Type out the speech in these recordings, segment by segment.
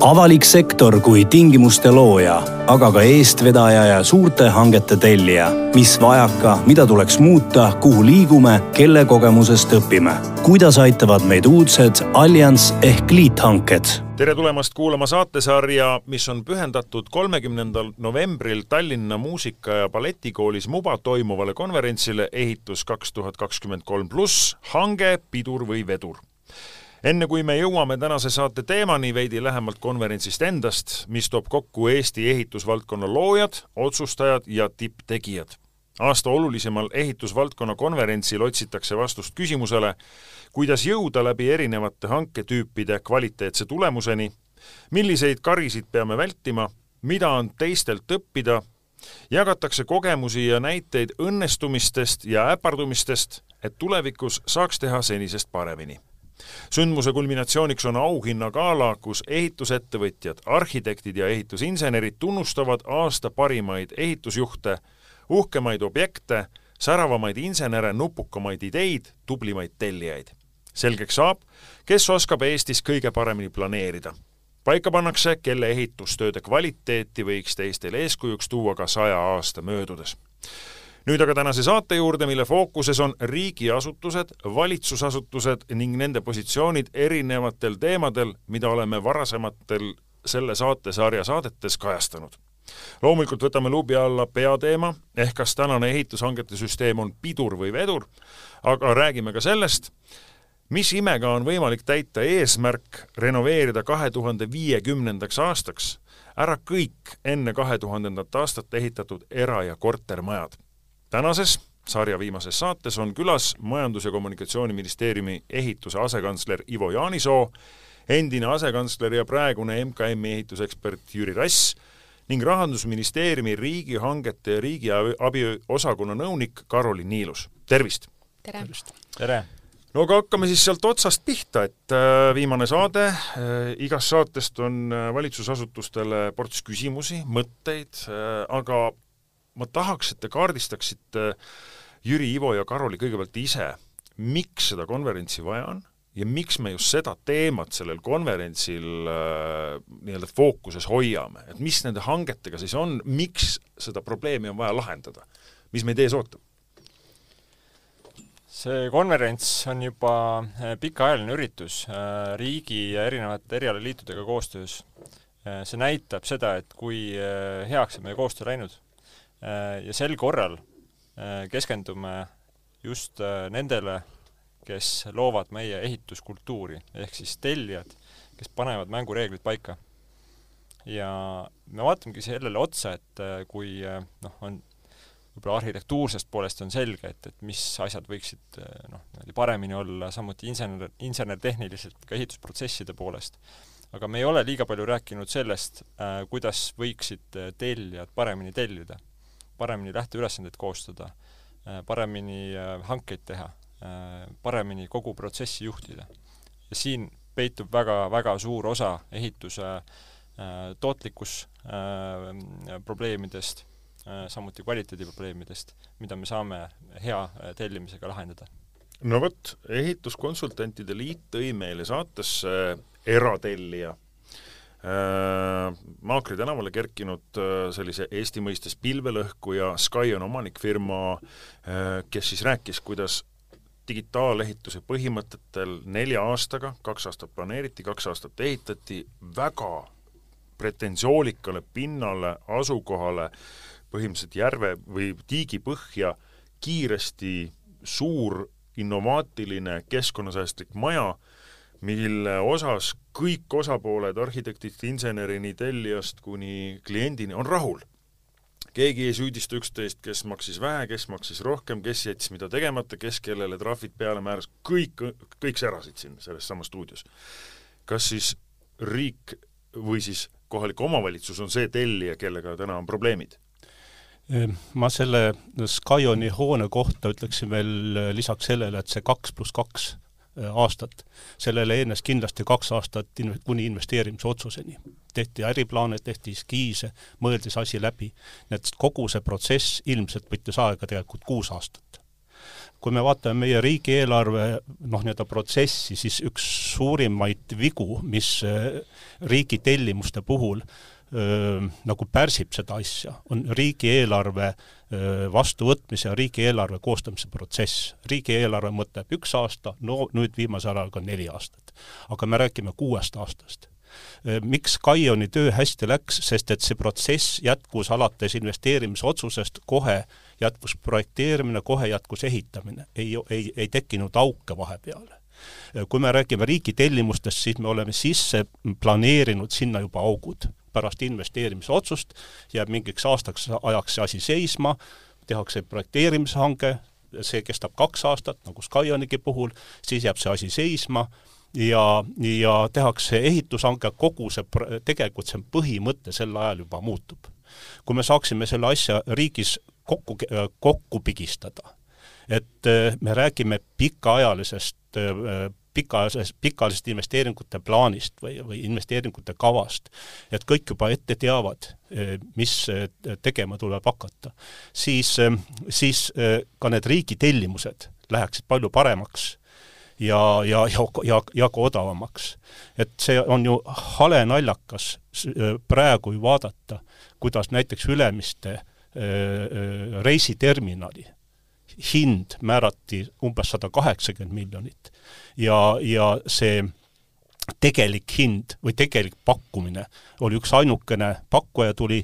Avalik sektor kui tingimuste looja, aga ka eestvedaja ja suurte hangete tellija. Mis vajaka, mida tuleks muuta, kuhu liigume, kelle kogemusest õpime. Kuidas aitavad meid uudsed Allianz ehk liithanked? Tere tulemast kuulama saatesarja, mis on pühendatud 30. novembril Tallinna muusika- ja balletikoolis MUBA toimuvale konverentsile Ehitus 2023+, hange, pidur või vedur. Enne kui me jõuame tänase saate teemani veidi lähemalt konverentsist endast, mis toob kokku Eesti ehitusvaldkonna loojad, otsustajad ja tipptegijad. Aasta olulisemal ehitusvaldkonna konverentsil otsitakse vastust küsimusele, kuidas jõuda läbi erinevate hanketüüpide kvaliteetse tulemuseni, milliseid karisid peame vältima, mida on teistelt õppida, jagatakse kogemusi ja näiteid õnnestumistest ja äpardumistest, et tulevikus saaks teha senisest paremini. Sündmuse kulminatsiooniks on auhinnagala, kus ehitusettevõtjad, arhitektid ja ehitusinsenerid tunnustavad aasta parimaid ehitusjuhte, uhkemaid objekte, säravamaid insenere, nupukamaid ideid, tublimaid tellijaid. Selgeks saab, kes oskab Eestis kõige paremini planeerida. Paika pannakse, kelle ehitustööde kvaliteeti võiks teistel eeskujuks tuua ka 100 aasta möödudes. Nüüd aga tänase saate juurde, mille fookuses on riigiasutused, valitsusasutused ning nende positsioonid erinevatel teemadel, mida oleme varasematel selle saatesarja saadetes kajastanud. Loomulikult võtame luubi alla peateema, ehk kas tänane ehitushangete süsteem on pidur või vedur, aga räägime ka sellest, mis imega on võimalik täita eesmärk renoveerida 2050. aastaks ära kõik enne 2000. aastat ehitatud era- ja kortermajad. Tänases sarja viimases saates on külas Majandus- ja Kommunikatsiooniministeeriumi ehituse asekantsler Ivo Jaanisoo, endine asekantsler ja praegune MKM-i ehitusekspert Jüri Rass ning Rahandusministeeriumi riigihangete ja riigiabi osakonna nõunik Karoli Niilus. Tervist! Tere! Tere! No aga hakkame siis sealt otsast pihta, et viimane saade, igast saatest on valitsusasutustele ports küsimusi, mõtteid, aga ma tahaks, et te kaardistaksite Jüri, Ivo ja Karoli kõigepealt ise, miks seda konverentsi vaja on ja miks me just seda teemat sellel konverentsil nii-öelda fookuses hoiame. Et mis nende hangetega siis on, miks seda probleemi on vaja lahendada? Mis meid ees ootab? See konverents on juba pikaajaline üritus riigi ja erinevate erialaliitudega koostöös. See näitab seda, et kui heaks on meie koostöö läinud. Ja sel korral keskendume just nendele, kes loovad meie ehituskultuuri, ehk siis tellijad, kes panevad mängureeglid paika. Ja me vaatamegi sellele otsa, et kui on võib-olla arhitektuursest poolest on selge, et mis asjad võiksid paremini olla, samuti insener-tehniliselt ka ehitusprotsesside poolest. Aga me ei ole liiga palju rääkinud sellest, kuidas võiksid tellijad paremini tellida, paremini lähteülesandeid koostada, paremini hankeid teha, paremini kogu protsessi juhtida. Ja siin peitub väga suur osa ehituse tootlikkus probleemidest, samuti kvaliteediprobleemidest, mida me saame hea tellimisega lahendada. No võt, ehituskonsultantide liit tõi meile saatesse eratellija. Maakri tänavale kerkinud sellise Eesti mõistes pilvelõhku ja Sky on omanikfirma, kes siis rääkis, kuidas digitaalehituse põhimõtetel 4 aastaga, 2 aastat planeeriti, 2 aastat ehitati väga pretensoolikale pinnale, asukohale, põhimõtteliselt järve või tiigi põhja kiiresti suur innovaatiline keskkonnasäästlik maja, mille osas kõik osapooled, arhitektid, insenerini, tellijast kuni kliendini on rahul. Keegi ei süüdista üksteist, kes maksis vähe, kes maksis rohkem, kes jättis mida tegemata, kes kellele trahvid peale määras, kõik särasid siin selles samas stuudios. Kas siis riik või siis kohalik omavalitsus on see tellija, kellega täna on probleemid? Ma selle Skyoni hoone kohta ütleksin veel lisaks sellele, et see 2+2 aastat. Sellele eenes kindlasti 2 aastat kuni investeerimise otsuseni. Tehti äriplaane, tehti skiise, mõeldis asi läbi. Need kogu see protsess ilmselt võttis aega tegelikult 6 aastat. kui me vaatame meie riigieelarve nii-öelda protsessi, siis üks suurimaid vigu, mis riigi tellimuste puhul nagu pärsib seda asja, on riigieelarve vastuvõtmise ja riigieelarve koostamise protsess. Riigieelarve mõtleb 1 aasta, no nüüd viimasel ajal ka 4 aastat. Aga me räägime 6 aastast. Miks Kaioni töö hästi läks, sest et see protsess jätkus alates investeerimisotsusest, kohe jätkus projekteerimine, kohe jätkus ehitamine. Ei tekkinud auke vahepeale. Kui me räägime riigi tellimustest, siis me oleme sisse planeerinud sinna juba augud. Pärast investeerimisotsust jääb mingiks aastaks ajaks see asi seisma, tehakse projekteerimishange, see kestab 2 aastat, nagu Skionigi puhul, siis jääb see asi seisma ja tehakse ehitushange, kogu see, tegelikult see põhimõte sel ajal juba muutub. Kui me saaksime selle asja riigis kokku pigistada, et me räägime pikaajalisest investeeringute plaanist või investeeringute kavast, et kõik juba ette teavad, mis tegema tuleb hakata, siis ka need riigi tellimused läheksid palju paremaks ja ka odavamaks. Et see on ju hale naljakas praegu ju vaadata, kuidas näiteks Ülemiste reisiterminali hind määrati umbes 180 miljonit ja see tegelik hind või tegelik pakkumine oli üks ainukene pakkuja tuli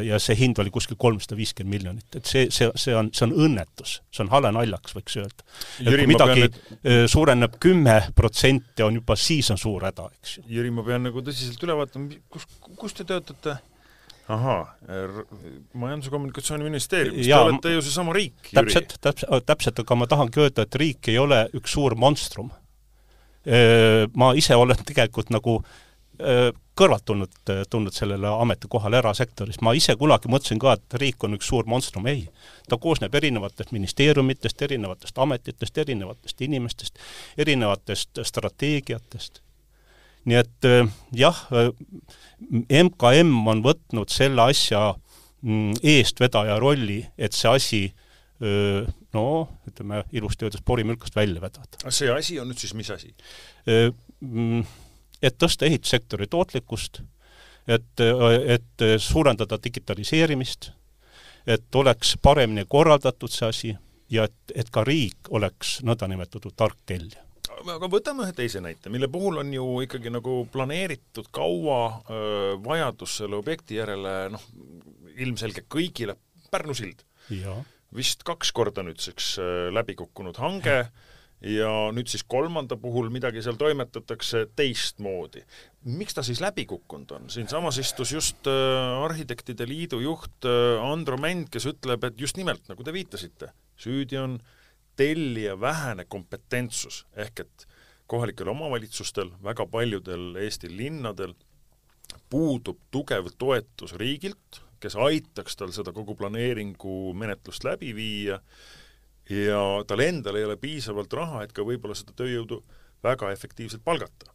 ja see hind oli kuskil 350 miljonit. Et see on õnnetus, see on hale naljaks, võiks öelda. Et kui midagi suureneb 10%, on juba siis on suur häda, eks. Jüri, ma pean nagu tõsiselt üle vaatama, kus te töötate? Majandus- ja kommunikatsiooniministeeriumis, te olete ju see sama riik, Jüri. Täpselt, aga ma tahangi öelda, et riik ei ole üks suur monstrum. Ma ise olen tegelikult nagu kõrvalt tulnud sellele ametikohale erasektoris. Ma ise kunagi mõtlesin ka, et riik on üks suur monstrum. Ei, ta koosneb erinevatest ministeeriumitest, erinevatest ametitest, erinevatest inimestest, erinevatest strateegiatest. Nii et jah, MKM on võtnud selle asja eestvedaja rolli, et see asi ütleme ilusti öeldes porimülkast välja vedada. See asi on nüüd siis mis asi? Et tõsta ehitussektori tootlikkust, et suurendada digitaliseerimist, et oleks paremini korraldatud see asi ja et ka riik oleks nõndanimetatud tark tellija. Aga võtame ühe teise näite, mille puhul on ju ikkagi nagu planeeritud kaua vajadus selle objekti järele ilmselge kõigile Pärnu sild. Ja. Vist 2 korda nüüdseks läbi kukkunud hange ja nüüd siis 3. puhul midagi seal toimetatakse teistmoodi. Miks ta siis läbi kukkunud on? Siin samas istus just Arhitektide Liidu juht Andro Mänd, kes ütleb, et just nimelt, nagu te viitasite, süüdi on tellija vähene kompetentsus, ehk et kohalikel omavalitsustel, väga paljudel Eesti linnadel puudub tugev toetus riigilt, kes aitaks tal seda kogu planeeringu menetlust läbi viia ja tal endal ei ole piisavalt raha, et ka võib-olla seda tööjõudu väga efektiivselt palgata.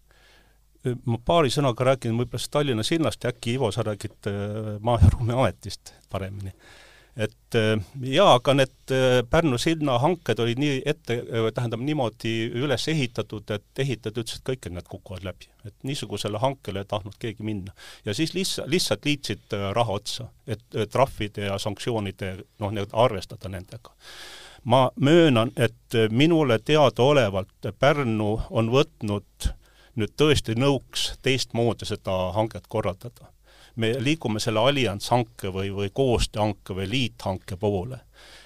Ma paari sõnaga räägin võib-olla Tallinna sinnast ja äkki Ivo, sa räägid Maa- ja Ruumiametist paremini. Et aga need Pärnu silna hanked olid niimoodi üles ehitatud, et ehitajad ütlesid, et kõik need kukuvad läbi. Et niisugusele hankele ei tahtnud keegi minna. Ja siis lihtsalt liitsid raha otsa, et trahvide ja sanktsioonide arvestada nendega. Ma möönan, et minule teadaolevalt Pärnu on võtnud nüüd tõesti nõuks teistmoodi seda hanket korraldada. Me liigume selle allianshanke või koostööhanke või liithanke poole.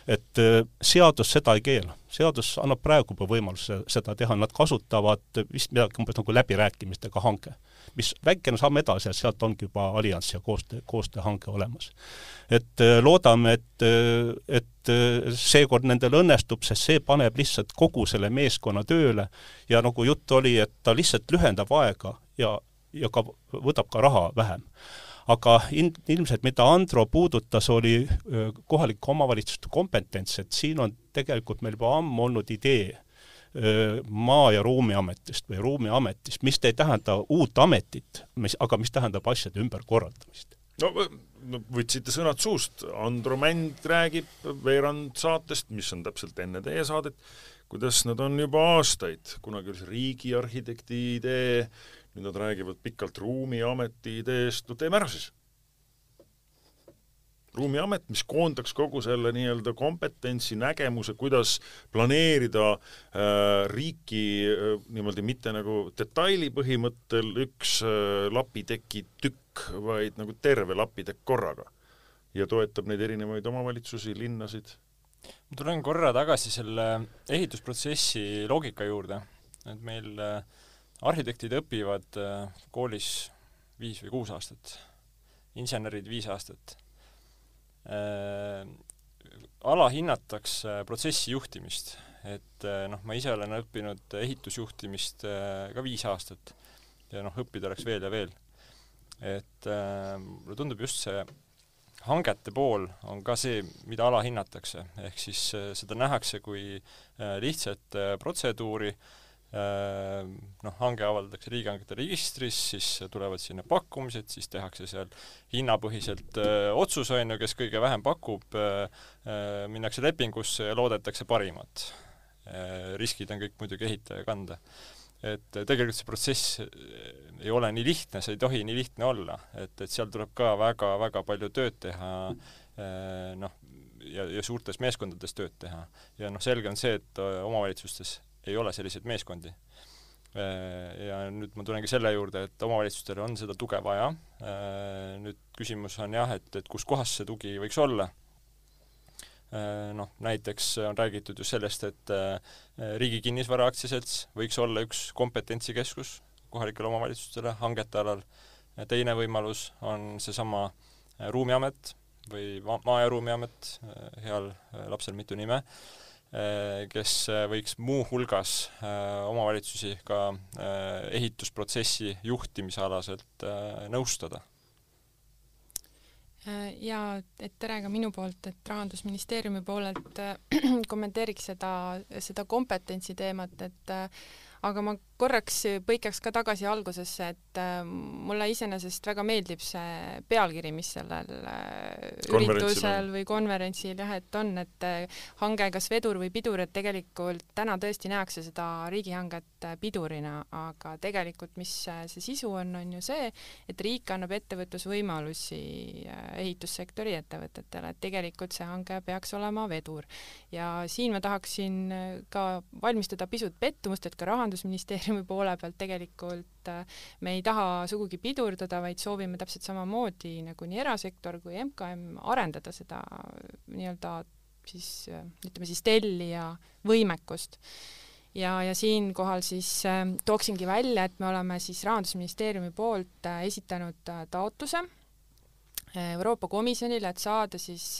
Et seadus seda ei keela. Seadus annab praegu võimaluse seda teha. Nad kasutavad vist midagi nagu läbirääkimistega hanke, mis väikene samm edasi ja sealt ongi juba allianss ja koostööhanke olemas. Et loodame, et seekord nendel õnnestub, sest see paneb lihtsalt kogu selle meeskonna tööle ja nagu jutt oli, et ta lihtsalt lühendab aega ja ka võtab ka raha vähem. Aga ilmselt, mida Andro puudutas, oli kohalike omavalitsuste kompetents, et siin on tegelikult meil juba ammu olnud idee Maa- ja Ruumiametist või Ruumiametist, mis ei tähenda uut ametit, aga mis tähendab asjade ümberkorraldamist. No võtsite sõnad suust, Andro Mänd räägib veerand saatest, mis on täpselt enne teie saadet, kuidas nad on juba aastaid, kunagi oli see riigiarhitekti idee, nüüd nad räägivad pikalt ruumiameti ideest, no teeme ära siis. Ruumiamet, mis koondaks kogu selle nii-öelda kompetentsi, nägemuse, kuidas planeerida riiki niimoodi mitte nagu detaili põhimõttel üks lapiteki tükk, vaid nagu terve lapitekk korraga ja toetab neid erinevaid omavalitsusi, linnasid. Ma tulen korra tagasi selle ehitusprotsessi loogika juurde, et meil arhitektid õpivad koolis 5 või 6 aastat, insenerid 5 aastat. Alahinnatakse protsessi juhtimist, et ma ise olen õppinud ehitusjuhtimist ka 5 aastat ja õppida oleks veel ja veel. Et mulle tundub just see hangete pool on ka see, mida alahinnatakse, ehk siis seda nähakse kui lihtsalt protseduuri, hange avaldatakse riigihangete registris, siis tulevad sinna pakkumised, siis tehakse seal hinnapõhiselt otsus, kes kõige vähem pakub, minnakse lepingusse ja loodetakse parimat. Riskid on kõik muidugi ehitaja kanda. Et tegelikult see protsess ei ole nii lihtne, see ei tohi nii lihtne olla, et seal tuleb ka väga palju tööd teha, ja suurtes meeskondades tööd teha. Ja selge on see, et omavalitsustes ei ole selliseid meeskondi. Ja nüüd ma tulengi selle juurde, et omavalitsustel on seda tuge vaja. Nüüd küsimus on et kus kohas see tugi võiks olla. Näiteks on räägitud ju sellest, et riigi kinnisvara aktsiaselts võiks olla üks kompetentsikeskus kohalikele omavalitsustele hangete alal. Teine võimalus on seesama ruumiamet või maa- ja ruumiamet, heal lapsel mitu nime, kes võiks muu hulgas omavalitsusi ka ehitusprotsessi juhtimisalaselt nõustada. Ja et tere ka minu poolt, et Rahandusministeeriumi poolelt kommenteeriks seda kompetentsi teemat, et aga ma korraks põikaks ka tagasi algusesse, et mulle iseenesest väga meeldib see pealkiri, mis sellel üritusel või konverentsil et on, et hange kas vedur või pidur, et tegelikult täna tõesti nähakse seda riigihanget pidurina, aga tegelikult mis see sisu on ju see, et riik annab ettevõtlusvõimalusi ehitussektori ettevõtetele, et tegelikult see hange peaks olema vedur. Ja siin ma tahaksin ka valmistada pisut pettumust, et ka Rahandusministeeriumi poole pealt tegelikult me ei taha sugugi pidurdada, vaid soovime täpselt samamoodi nagu nii erasektor kui MKM arendada seda nii-öelda siis tellija võimekust. Ja siinkohal siis tooksingi välja, et me oleme siis Rahandusministeeriumi poolt esitanud taotluse Euroopa Komisjonile, et saada siis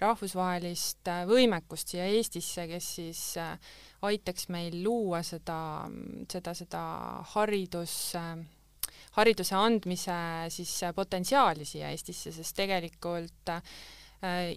rahvusvahelist võimekust siia Eestisse, kes siis aitaks meil luua seda hariduse andmise siis potentsiaali siia Eestisse, sest tegelikult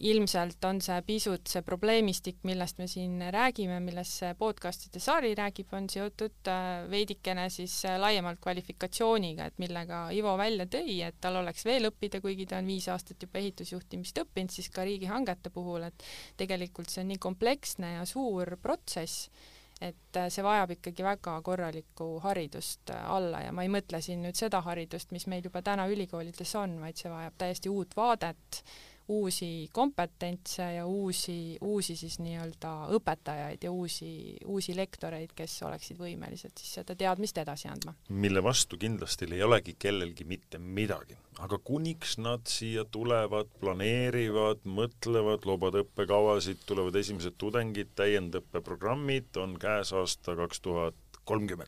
ilmselt on see pisut see probleemistik, millest me siin räägime, millest see podcastide sari räägib, on seotud veidikene siis laiemalt kvalifikatsiooniga, et millega Ivo välja tõi, et tal oleks veel õppida, kuigi ta on 5 aastat juba ehitusjuhtimist õppinud, siis ka riigihangete puhul, et tegelikult see on nii kompleksne ja suur protsess, et see vajab ikkagi väga korralikku haridust alla ja ma ei mõtle siin nüüd seda haridust, mis meil juba täna ülikoolides on, vaid see vajab täiesti uut vaadet, uusi kompetentse ja uusi siis nii-öelda õpetajaid ja uusi lektoreid, kes oleksid võimelised siis seda teadmist edasi andma. Mille vastu kindlasti ei olegi kellelgi mitte midagi. Aga kuniks nad siia tulevad, planeerivad, mõtlevad, loobad õppekavasid, tulevad esimesed tudengid, täiendõppeprogrammid, on käes aasta 2030.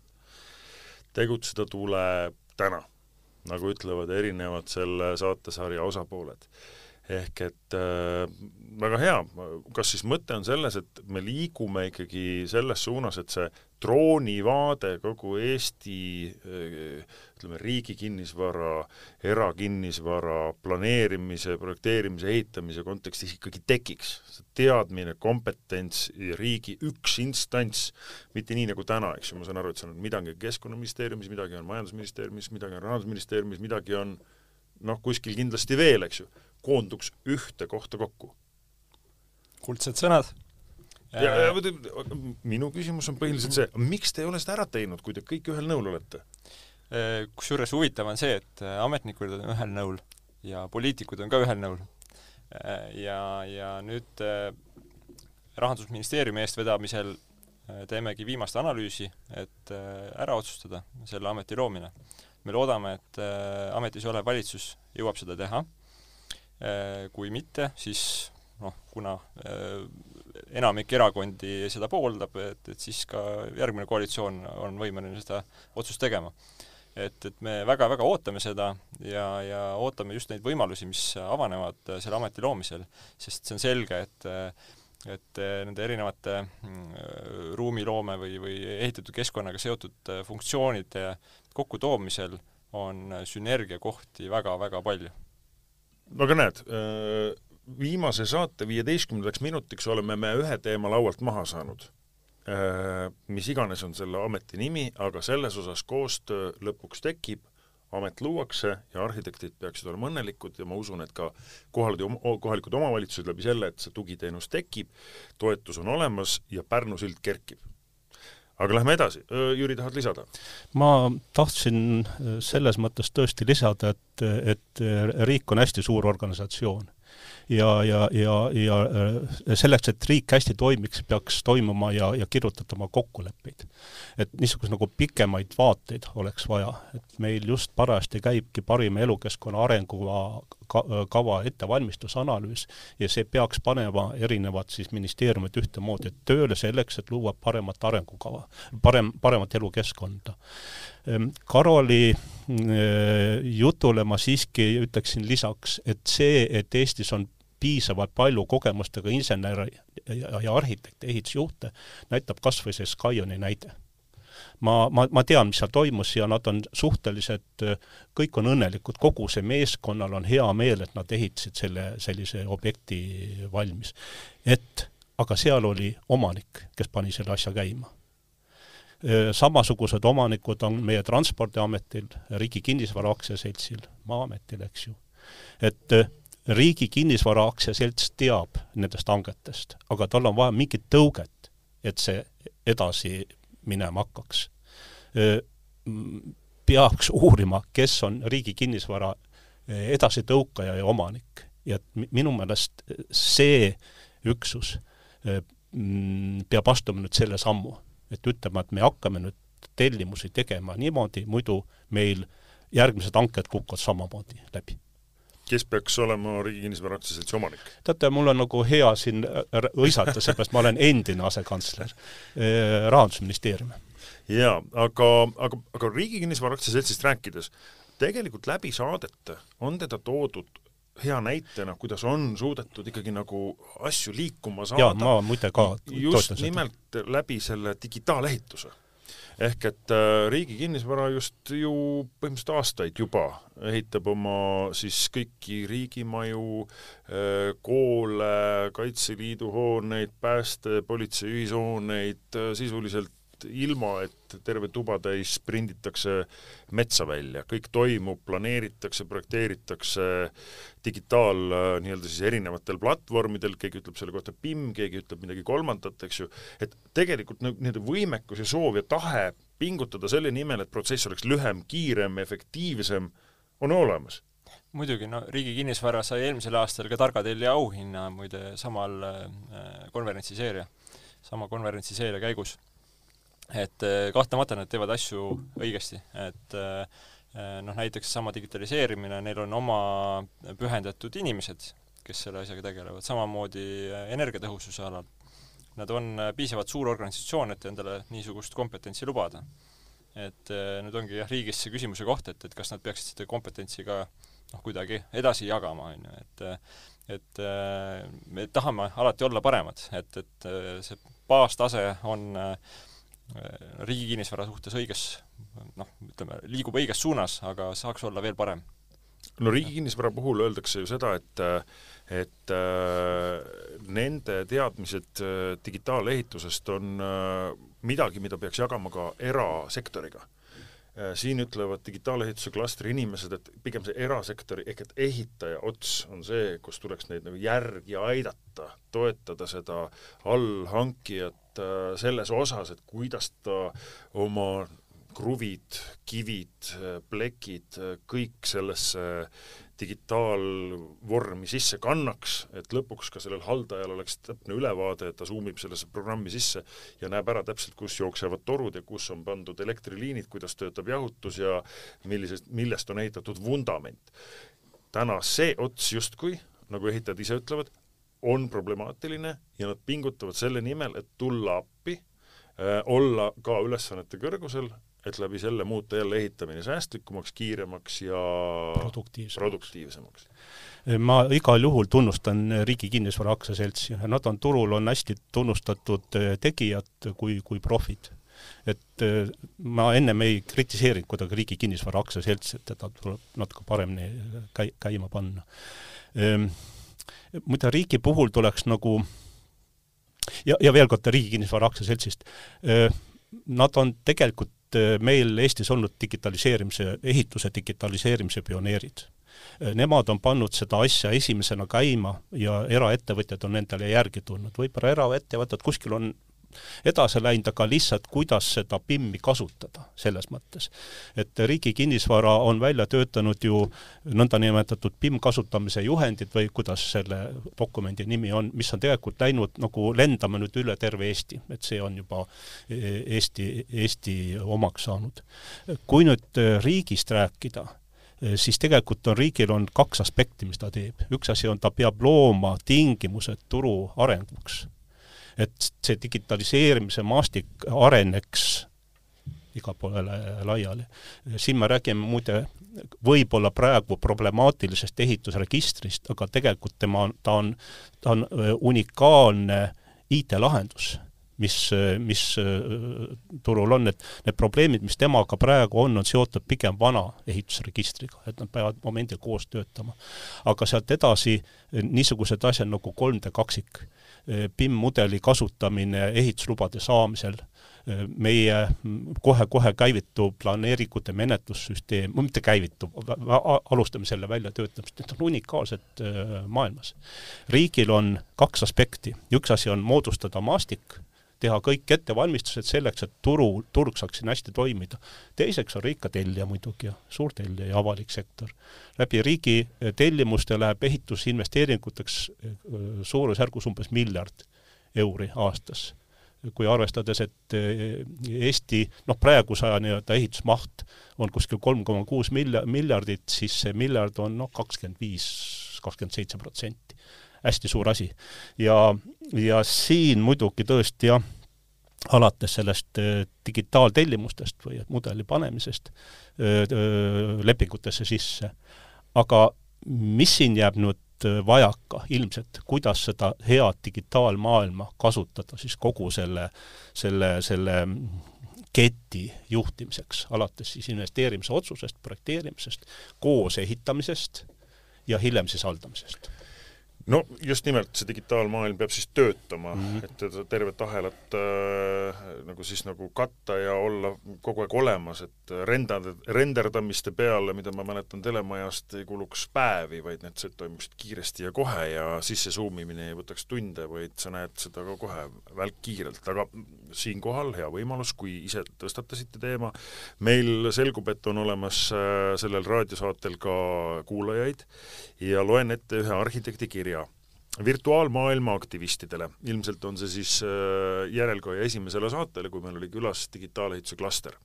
Tegutseda tuleb täna, nagu ütlevad erinevad selle saatesarja osapooled. Ehk et väga hea, kas siis mõte on selles, et me liigume ikkagi selles suunas, et see droonivaade kogu Eesti riigi kinnisvara, erakinnisvara, planeerimise, projekteerimise, ehitamise kontekstis ikkagi tekiks. See teadmine, kompetents ja riigi üks instants, mitte nii nagu täna, eks ju, ma saan aru, et see on midagi Keskkonnaministeeriumis, midagi on Majandusministeeriumis, midagi on Rahandusministeeriumis, midagi on kuskil kindlasti veel, eks ju, koonduks ühte kohta kokku. Kuldsed sõnad. Ja minu küsimus on põhiliselt see, miks te ei ole seda ära teinud, kui te kõik ühel nõul olete? Kusjuures huvitav on see, et ametnikud on ühel nõul ja poliitikud on ka ühel nõul. Ja nüüd Rahandusministeeriumi eestvedamisel teemegi viimast analüüsi, et ära otsustada selle ameti loomine. Me loodame, et ametis olev valitsus jõuab seda teha. Kui mitte, siis kuna enamik erakondi seda pooldab, et siis ka järgmine koalitsioon on võimeline seda otsust tegema. Et me väga-väga ootame seda ja ootame just neid võimalusi, mis avanevad selle ameti loomisel, sest see on selge, et nende erinevate ruumiloome või ehitatud keskkonnaga seotud funktsioonide kokkutoomisel on sünergiakohti väga-väga palju. Aga näed, viimase saate 15 minutiks oleme me ühe teema laualt maha saanud. Mis iganes on selle ameti nimi, aga selles osas koostöö lõpuks tekib, amet luuakse ja arhitektid peaksid olema õnnelikud ja ma usun, et ka kohalikud omavalitsused läbi selle, et see tugiteenus tekib, toetus on olemas ja Pärnu sild kerkib. Aga lähme edasi. Jüri, tahad lisada? Ma tahtsin selles mõttes tõesti lisada, et riik on hästi suur organisatsioon. Ja selleks, et riik hästi toimiks, peaks toimuma ja kirjutatama kokkuleppeid. Et niisuguse nagu pikemaid vaateid oleks vaja. Et meil just parajasti käibki parima elukeskkonna arengukava ettevalmistusanalüüs ja see peaks panema erinevad siis ministeeriumid ühtemoodi tööle selleks, et luua paremat arengukava, paremat elukeskkonda. Karoli jutule ma siiski ütleksin lisaks, et see, et Eestis on piisavalt palju kogemustega inseneri ja arhitekte, ehitusjuhte, näitab kas või see Skyoni näide. Ma tean, mis seal toimus ja nad on suhteliselt, kõik on õnnelikud, kogu see meeskonnal on hea meel, et nad ehitasid sellise objekti valmis. Aga seal oli omanik, kes pani selle asja käima. Samasugused omanikud on meie Transpordiametil, Riigi Kinnisvara Aktsiaseltsil, Maa-ametil, eks ju. Et Riigi Kinnisvara Aktsiaselts teab nendest hangetest, aga tal on vaja mingit tõuget, et see edasi minema hakkaks. Peaks uurima, kes on Riigi Kinnisvara edasi tõukaja ja omanik. Ja minu meelest see üksus peab astuma nüüd selle sammu. Et ütlema, et me hakkame nüüd tellimusi tegema niimoodi, muidu meil järgmised hanked kukuvad samamoodi läbi. Kes peaks olema Riigi Kinnisvara Aktsiaseltsi omanik? Teate, mul on nagu hea siin õisata, seepärast ma olen endine asekantsler Rahandusministeeriumi. Jaa, aga Riigi Kinnisvara Aktsiaseltsist rääkides, tegelikult läbi saadete on teda toodud hea näitena, kuidas on suudetud ikkagi nagu asju liikuma saada. Jaa, ma muide ka just nimelt läbi selle digitaalehituse. Ehk et Riigi Kinnisvara just ju põhimõtteliselt aastaid juba ehitab oma siis kõiki riigimaju, koole, Kaitseliidu hooneid, pääste, politsei ühishooneid, sisuliselt ilma, et terve tubatäis prinditakse metsa välja. Kõik toimub, planeeritakse, projekteeritakse nii-öelda siis erinevatel platvormidel, keegi ütleb selle kohta PIM, keegi ütleb midagi kolmandat, eks ju. Et tegelikult nii-öelda võimekus ja soov ja tahe pingutada selle nimel, et protsess oleks lühem, kiirem, efektiivsem, on olemas. Muidugi, Riigi Kinnisvara sai eelmisel aastal ka Targatelja auhinna muide sama konverentsiseeria käigus. Et kahtlemata nad teevad asju õigesti, et näiteks sama digitaliseerimine, neil on oma pühendatud inimesed, kes selle asjaga tegelevad, samamoodi energiatõhususe alal. Nad on piisavalt suur organisatsioon, et endale niisugust kompetentsi lubada. Et nüüd ongi riigis see küsimuse koht, et kas nad peaksid seda kompetentsi ka kuidagi edasi jagama. Et me tahame alati olla paremad, et see baastase on Riigi Kinnisvara suhtes liigub õiges suunas, aga saaks olla veel parem. Riigi Kinnisvara puhul öeldakse ju seda, et nende teadmised digitaalehitusest on midagi, mida peaks jagama ka erasektoriga. siin ütlevad digitaalehituse klastri inimesed, et pigem see erasektori ehk et ehitaja ots on see, kus tuleks neid nagu järgi aidata, toetada seda allhankijat selles osas, et kuidas ta oma kruvid, kivid, plekid, kõik sellesse digitaalvormi sisse kannaks, et lõpuks ka sellel haldajal oleks täpne ülevaade, et ta zoomib sellesse programmi sisse ja näeb ära täpselt, kus jooksevad torud ja kus on pandud elektriliinid, kuidas töötab jahutus ja millest on ehitatud vundament. Täna see ots justkui, nagu ehitajad ise ütlevad, on problemaatiline ja nad pingutavad selle nimel, et tulla appi, olla ka ülesannete kõrgusel, et läbi selle muuta jälle ehitamine säästlikumaks, kiiremaks ja produktiivsemaks. Ma igal juhul tunnustan Riigi Kinnisvara Aktsiaseltsi. Nad on turul on hästi tunnustatud tegijad kui profid. Et ma ennem ei kritiseerinud kuidagi Riigi Kinnisvara Aktsiaseltsi, et teda tuleb natuke paremini käima panna. Muide riigi puhul tuleks nagu ja veel kord Riigi Kinnisvara Aktsiaseltsist. Nad on tegelikult meil Eestis olnud ehituse digitaliseerimise pioneerid. Nemad on pannud seda asja esimesena käima ja eraettevõtjad on nendele järgi tulnud. Võib-olla eraettevõtjad kuskil on edasi läinud, aga lihtsalt kuidas seda PIM-i kasutada selles mõttes. Et Riigi Kinnisvara on välja töötanud ju nõndanimetatud PIM kasutamise juhendid või kuidas selle dokumendi nimi on, mis on tegelikult läinud nagu lendama nüüd üle terve Eesti, et see on juba Eesti omaks saanud. Kui nüüd riigist rääkida, siis tegelikult riigil on kaks aspekti, mis ta teeb. Üks asi on, ta peab looma tingimused turu arenguks. Et see digitaliseerimise maastik areneks iga poolele laiali. Siin me räägime muide võib-olla praegu problemaatilisest ehitusregistrist, aga tegelikult ta on unikaalne IT-lahendus, mis turul on, et need probleemid, mis temaga praegu on seotud pigem vana ehitusregistriga, et nad peavad momendil koos töötama. Aga sealt edasi niisugused asjad nagu 3D kaksik, PIM-mudeli kasutamine ehituslubade saamisel, meie kohe käivitub planeeringute menetlussüsteem, mitte käivitub, alustame selle väljatöötamist, need on unikaalsed maailmas. Riigil on kaks aspekti. Üks asi on moodustada maastik, teha kõik ettevalmistused selleks, et turg saaks siin hästi toimida. Teiseks on riik ka tellija muidugi ja suur tellija ja avalik sektor. Läbi riigi tellimuste läheb ehitusinvesteeringuteks suurusjärgus umbes 1 miljard euri aastas. Kui arvestades, et Eesti praegu ehitusmaht on kuskil 3,6 miljardit, siis see miljard on 25-27%. Hästi suur asi. Ja siin muidugi tõesti alates sellest digitaaltellimustest või mudeli panemisest lepingutesse sisse. Aga mis siin jääb nüüd vajaka ilmselt, kuidas seda head digitaalmaailma kasutada siis kogu selle keti juhtimiseks, alates siis investeerimise otsusest, projekteerimisest, koos ehitamisest ja hiljem siis haldamisest. No just nimelt see digitaalmaailm peab siis töötama, et tervet ahelat nagu katta ja olla kogu aeg olemas, et renderdamiste peale, mida ma mäletan telemajast, ei kuluks päevi, vaid need toimuksid kiiresti ja kohe ja sisse zoomimine ei võtaks tunde, vaid sa näed seda ka kohe välk kiirelt. Aga siinkohal hea võimalus, kui ise tõstatasite teema. Meil selgub, et on olemas sellel raadiosaatel ka kuulajaid ja loen ette ühe arhitekti kirja virtuaalmaailma aktivistidele. Ilmselt on see siis järelkoja esimesele saatele, kui meil oli külas digitaalehituse klaster.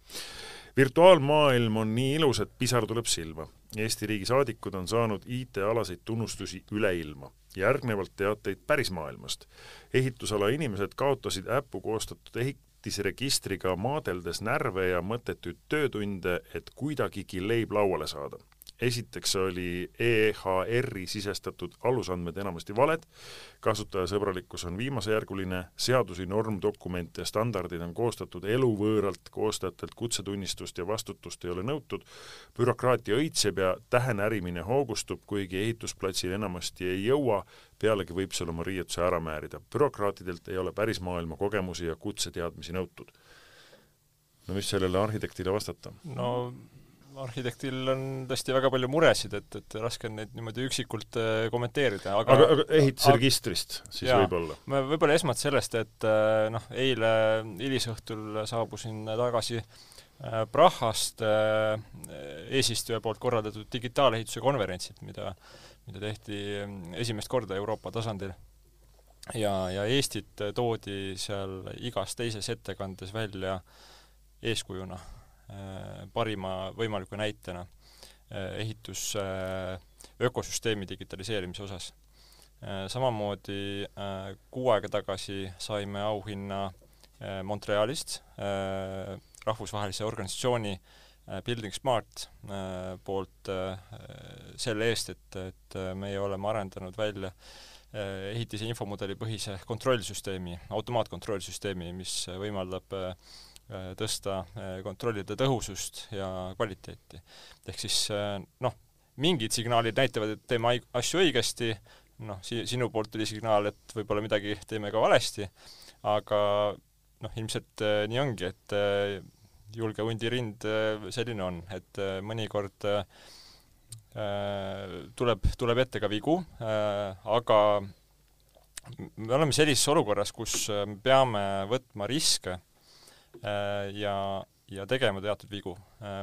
Virtuaalmaailm on nii ilus, et pisar tuleb silma. Eesti riigi saadikud on saanud IT-alaseid tunnustusi üle ilma. Järgnevalt teateid päris maailmast. Ehitusala inimesed kaotasid äppu koostatud ehitisregistriga maadeldes närve ja mõttetuid töötunde, et kuidagigi leib lauale saada. Esiteks oli EHR-i sisestatud alusandmed enamasti valed, kasutajasõbralikkus on viimasejärguline, seadusi, normdokumente ja standardid on koostatud eluvõõralt, koostajatelt kutsetunnistust ja vastutust ei ole nõutud, bürokraatia õitseb ja tähenärimine hoogustub, kuigi ehitusplatsil enamasti ei jõua, pealegi võib seal oma riietuse ära määrida. Bürokraatidelt ei ole päris maailma kogemusi ja kutseteadmisi nõutud. no mis sellele arhitektile vastata? No arhitektil on tõesti väga palju muresid, et raske on neid niimoodi üksikult kommenteerida. Aga ehitusregistrist siis võib-olla? Võib-olla esmalt sellest, et eile hilisõhtul saabusin tagasi Prahast eesistuja poolt korraldatud digitaalehituse konverentsid, mida tehti esimest korda Euroopa tasandil. Ja Eestit toodi seal igas teises ettekandes välja eeskujuna, parima võimaliku näitena ehitus ökosüsteemi digitaliseerimise osas. Samamoodi 6 aega tagasi saime auhinna Montrealist, rahvusvahelise organisatsiooni Building Smart poolt selle eest, et meie oleme arendanud välja ehitise infomudeli põhise kontrollsüsteemi, automaatkontrollsüsteemi, mis võimaldab tõsta kontrollide tõhusust ja kvaliteeti. Ehk siis mingid signaalid näitavad, et teeme asju õigesti, sinu poolt tuli signaal, et võib-olla midagi teeme ka valesti, aga ilmselt nii ongi, et julge hundirind selline on, et mõnikord tuleb ette ka vigu, aga me oleme sellises olukorras, kus me peame võtma riske ja tegema teatud vigu.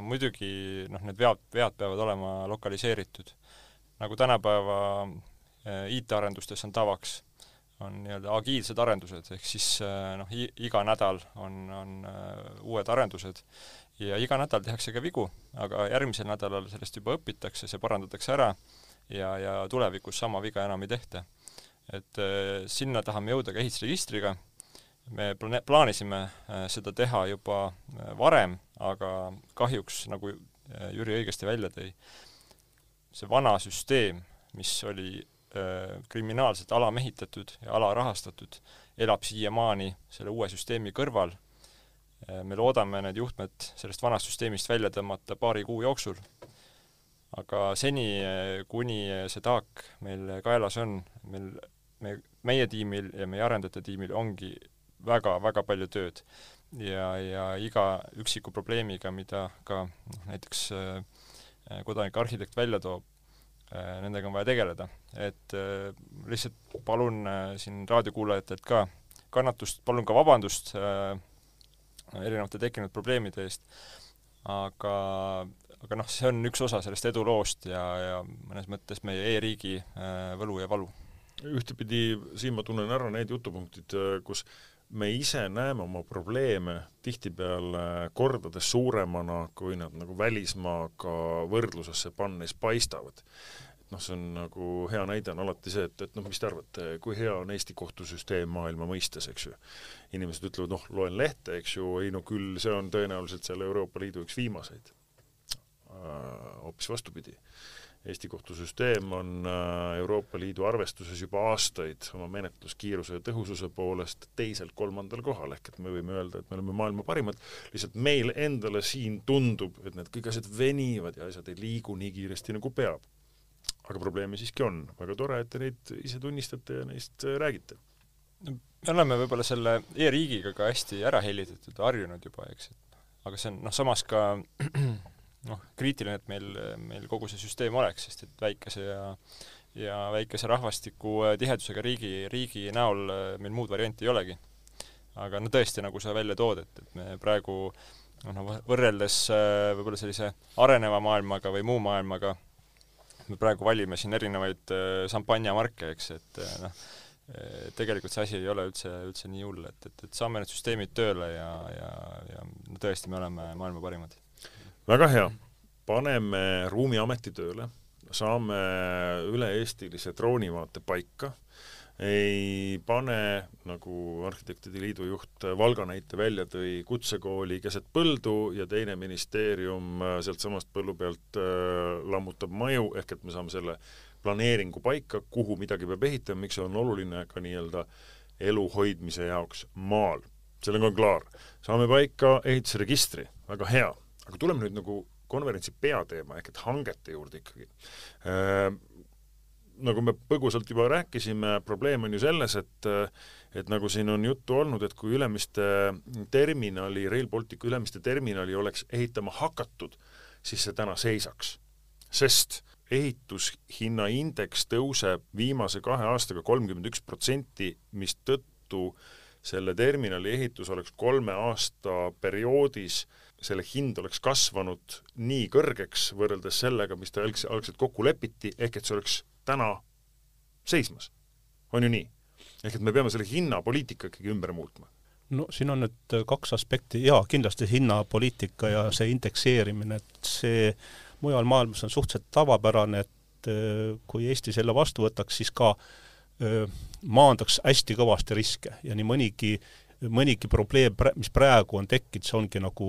Muidugi need vead peavad olema lokaliseeritud. Nagu tänapäeva IT-arendustes on tavaks, on agiilsed arendused, ehk siis iga nädal on uued arendused ja iga nädal tehakse ka vigu, aga järgmisel nädalal sellest juba õpitakse, see parandatakse ära ja tulevikus sama viga enam ei tehta. Et sinna tahame jõuda ka ehitusregistriga. Me plaanisime seda teha juba varem, aga kahjuks, nagu Jüri õigesti välja tõi, see vana süsteem, mis oli kriminaalselt alamehitatud ja alarahastatud, elab siiamaani selle uue süsteemi kõrval. Me loodame need juhtmed sellest vanast süsteemist välja tõmmata 2 kuu jooksul. Aga seni, kuni see taak meil kaelas on, meie tiimil ja meie arendajate tiimil ongi väga palju tööd ja iga üksiku probleemiga, mida ka näiteks kodanik arhitekt välja toob, nendega on vaja tegeleda. Et lihtsalt palun siin raadiokuulajatelt ka kannatust, palun ka vabandust erinevate tekkinud probleemide eest, aga see on üks osa sellest eduloost ja mõnes mõttes meie e-riigi võlu ja valu. Ühtepidi siin ma tunnen ära need jutupunktid, kus me ise näeme oma probleeme tihtipeale kordades suuremana, kui nad nagu välismaaga võrdlusesse pannes paistavad. See on nagu hea näide on alati see, et mis te arvate, kui hea on Eesti kohtusüsteem maailma mõistes, eks ju. Inimesed ütlevad, loen lehte, eks ju, küll see on tõenäoliselt selle Euroopa Liidu üks viimaseid. Hoopis vastupidi. Eesti kohtusüsteem on Euroopa Liidu arvestuses juba aastaid oma menetluskiiruse ja tõhususe poolest 2.-3. kohal, ehk et me võime öelda, et me oleme maailma parimad, lihtsalt meil endale siin tundub, et need kõik asjad venivad ja asjad ei liigu nii kiiresti nagu peab. Aga probleemi siiski on. Väga tore, et te neid ise tunnistate ja neist räägite. Me oleme võib-olla selle e-riigiga ka hästi ära helitatud, harjunud juba, eks. Aga see on samas ka kriitiline, et meil kogu see süsteem oleks, sest et väikese ja väikese rahvastiku tihedusega riigi näol meil muud varianti ei olegi. Aga tõesti, nagu sa välja tood, et me praegu võrreldes võib-olla sellise areneva maailmaga või muu maailmaga me praegu valime siin erinevaid šampanjamarke, eks, et tegelikult see asi ei ole üldse nii hull, et saame need süsteemid tööle ja tõesti me oleme maailma parimad. Väga hea. Paneme ruumiameti tööle, saame üle-eestilise droonivaate paika, ei pane, nagu Arhitektide Liidu juht Valga näite välja tõi, kutsekooli keset põldu ja teine ministeerium sealt samast põllu pealt lammutab maju, ehk et me saame selle planeeringu paika, kuhu midagi peab ehitama, miks see on oluline ka nii-öelda elu hoidmise jaoks maal. Sellega on klaar. Saame paika ehitusregistri, väga hea. Aga tuleme nüüd nagu konverentsi peateema, ehk et hangete juurde ikkagi. nagu me põgusalt juba rääkisime, probleem on ju selles, et nagu siin on juttu olnud, et kui Rail Balticu Ülemiste terminali oleks ehitama hakatud, siis see täna seisaks. Sest ehitushinna indeks tõuseb viimase 2 aastaga 31%, mis tõttu selle terminali ehitus oleks 3 aasta perioodis, selle hind oleks kasvanud nii kõrgeks võrreldes sellega, mis ta algselt kokku lepiti, ehk et see oleks täna seismas. On ju nii? Ehk et me peame selle hinnapoliitika ikkagi ümber muutma. No siin on nüüd 2 aspekti. Jaa, kindlasti hinnapoliitika ja see indekseerimine, et see mujal maailmas on suhteliselt tavapärane, et kui Eesti selle vastu võtaks, siis ka maandaks hästi kõvasti riske ja nii mõnigi probleem, mis praegu on tekkinud, see ongi nagu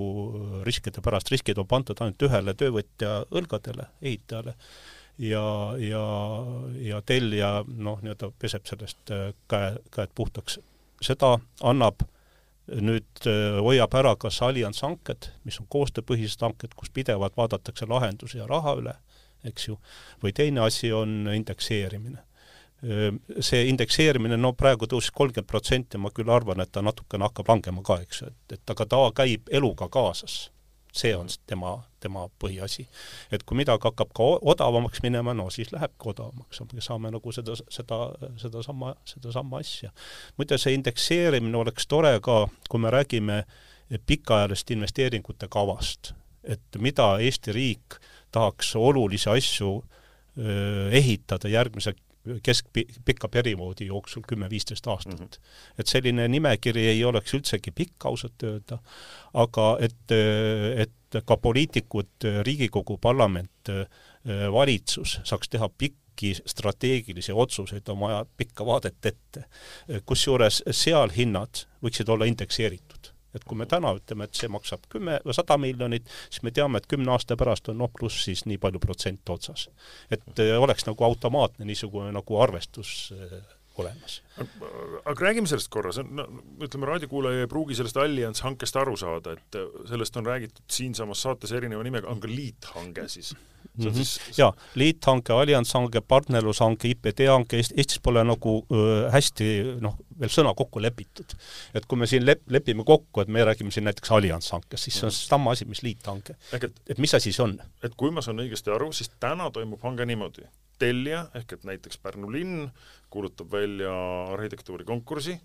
riskide pärast. Riskid on pandud ainult ühele töövõtja õlgadele, ehitajale ja tellija nii-öelda peseb sellest käed puhtaks. Seda annab nüüd hoiab ära kas allianshanked, mis on koostööpõhised hanked, kus pidevalt vaadatakse lahendusi ja raha üle, eks ju, või teine asi on indekseerimine. See indekseerimine, praegu tõusis 30%, ma küll arvan, et ta natukene hakkab langema ka, eks, et aga ta käib eluga kaasas. See on tema põhiasi. Et kui midagi hakkab ka odavamaks minema, siis lähebki odavamaks. Me saame nagu seda sama asja. Muide, see indekseerimine oleks tore ka, kui me räägime pikaajalist investeeringute kavast, et mida Eesti riik tahaks olulisi asju ehitada järgmise keskpikka perioodi jooksul 10-15 aastat. Et selline nimekiri ei oleks üldsegi pikk ausalt öelda, aga et ka poliitikud, Riigikogu, parlament, valitsus saaks teha pikki strateegilisi otsuseid oma pikka vaadet ette. Kusjuures seal hinnad võiksid olla indekseeritud. Et kui me täna ütleme, et see maksab 10 või 100 miljonit, siis me teame, et 10 aasta pärast on pluss siis nii palju protsent otsas. Et oleks nagu automaatne niisugune nagu arvestus olemas. Aga räägime sellest korras. Ütleme, raadiokuulaja ei pruugi sellest allianshankest aru saada, et sellest on räägitud siinsamas saates erineva nimega, on ka liithange siis. Jaa, liithange, allianshange, partnerlushange, IPD-hange, Eestis pole nagu hästi veel sõna kokku lepitud. Et kui me siin lepime kokku, et me räägime siin näiteks allianshankest, siis see on sama asi, mis liithange. Et mis asi siis on? Et kui ma saan õigesti aru, siis täna toimub hange niimoodi. Tellija, ehk et näiteks Pärnu linn kuulutab välja arhitektuurikonkursi,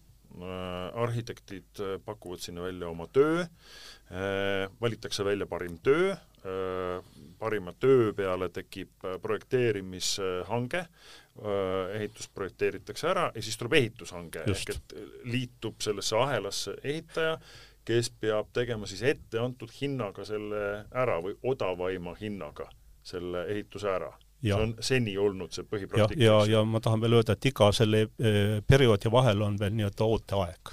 arhitektid pakuvad sinna välja oma töö, valitakse välja parim töö, parima töö peale tekib projekteerimishange, ehitus projekteeritakse ära ja siis tuleb ehitushange, ehk et liitub sellesse ahelasse ehitaja, kes peab tegema siis ette antud hinnaga selle ära või odavaima hinnaga selle ehituse ära. See on seni olnud see põhipraktika. Ja ma tahan veel öelda, et iga selle perioodi vahel on veel nii-öelda ooteaeg.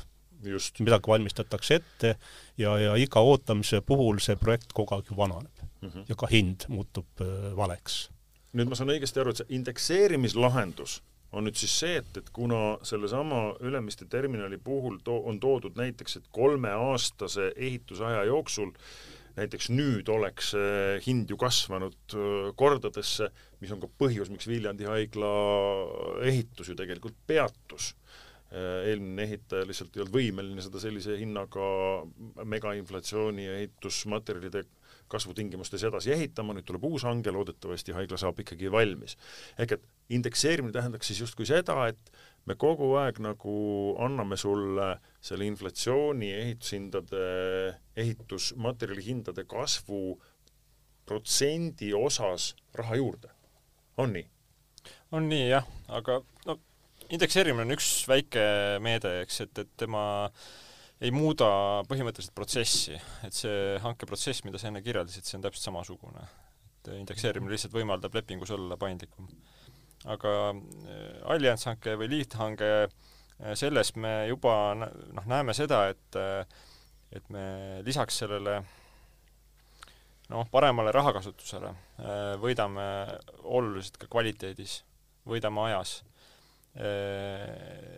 Just. Midagi valmistatakse ette ja iga ootamise puhul see projekt kogu aeg vananeb ja ka hind muutub valeks. Nüüd ma saan õigesti aru, et see indekseerimislahendus on nüüd siis see, et kuna sellesama Ülemiste terminali puhul on toodud näiteks, et 3-aastase ehitusaja jooksul näiteks nüüd oleks hind ju kasvanud kordadesse, mis on ka põhjus, miks Viljandi haigla ehitus ju tegelikult peatus. Eelmine ehitaja lihtsalt ei olnud võimeline seda sellise hinnaga megainflatsiooni ja ehitusmaterjalide kasvutingimustes edasi ehitama, nüüd tuleb uus hange, loodetavasti haigla saab ikkagi valmis. Ehk et indekseerimine tähendaks siis justkui seda, et me kogu aeg nagu anname sulle selle inflatsiooni ehitusmaterjali hindade kasvu protsendi osas raha juurde. On nii? On nii, jah, aga indekseerimine on üks väike meede, eks, et tema ei muuda põhimõtteliselt protsessi, et see hankeprotsess, mida sa enne kirjeldasid, see on täpselt samasugune. Et indekseerimine lihtsalt võimaldab lepingus olla paindlikum. Aga allianshanke või liithange, selles me juba näeme seda, et me lisaks sellele paremale rahakasutusele võidame oluliselt ka kvaliteedis, võidame ajas.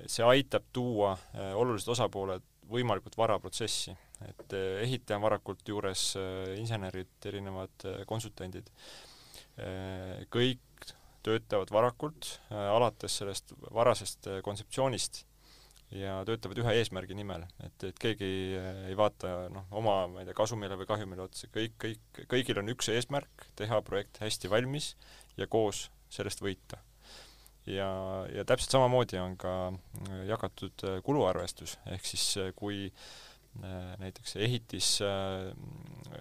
See aitab tuua olulised osapooled võimalikult vara protsessi, et ehitaja on varakult juures insenerid, erinevad konsultandid. Kõik töötavad varakult, alates sellest varasest kontseptsioonist ja töötavad ühe eesmärgi nimel, et keegi ei vaata oma kasumile või kahjumile otsa, kõigil on üks eesmärk, teha projekt hästi valmis ja koos sellest võita. Ja täpselt samamoodi on ka jagatud kuluarvestus, ehk siis kui näiteks ehitis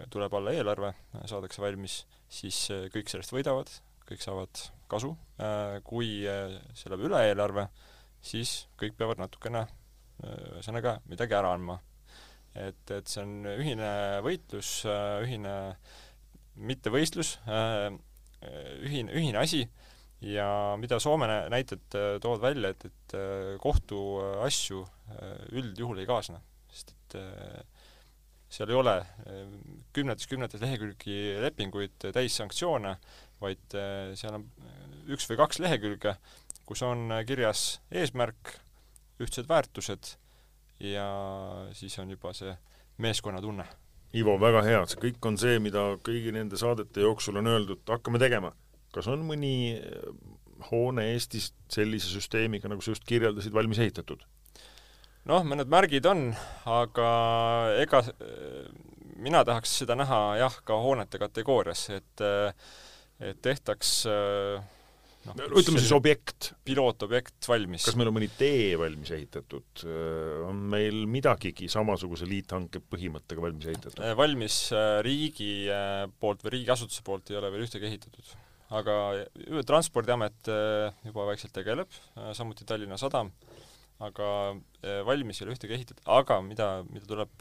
tuleb alla eelarve, saadakse valmis, siis kõik sellest võidavad, kõik saavad kasu. Kui see läheb üle eelarve, siis kõik peavad natukene ühesõnaga midagi ära andma. Et see on ühine võitlus, ühine mitte võistlus, ühine asi ja mida Soome näited toovad välja, et kohtuasju üldjuhul ei kaasne, sest et seal ei ole kümnetes lehekülgi lepinguid täis sanktsioone, vaid seal on 1 või 2 lehekülge, kus on kirjas eesmärk, ühtsed väärtused ja siis on juba see meeskonnatunne. Ivo, väga hea, see kõik on see, mida kõigi nende saadete jooksul on öeldud, hakkame tegema. Kas on mõni hoone Eestis sellise süsteemiga, nagu sa just kirjeldasid, valmis ehitatud? Mõned märgid on, aga ega mina tahaks seda näha ka hoonete kategoorias, et tehtaks ütleme siis objekt. Pilootobjekt valmis. Kas meil on mõni tee valmis ehitatud? On meil midagigi samasuguse liithanke põhimõttega valmis ehitatud? Valmis riigi poolt või riigiasutuse poolt ei ole veel ühtegi ehitatud. Aga Transpordiamet juba vaikselt tegeleb, samuti Tallinna Sadam, aga valmis ei ole ühtegi ehitatud. Aga mida tuleb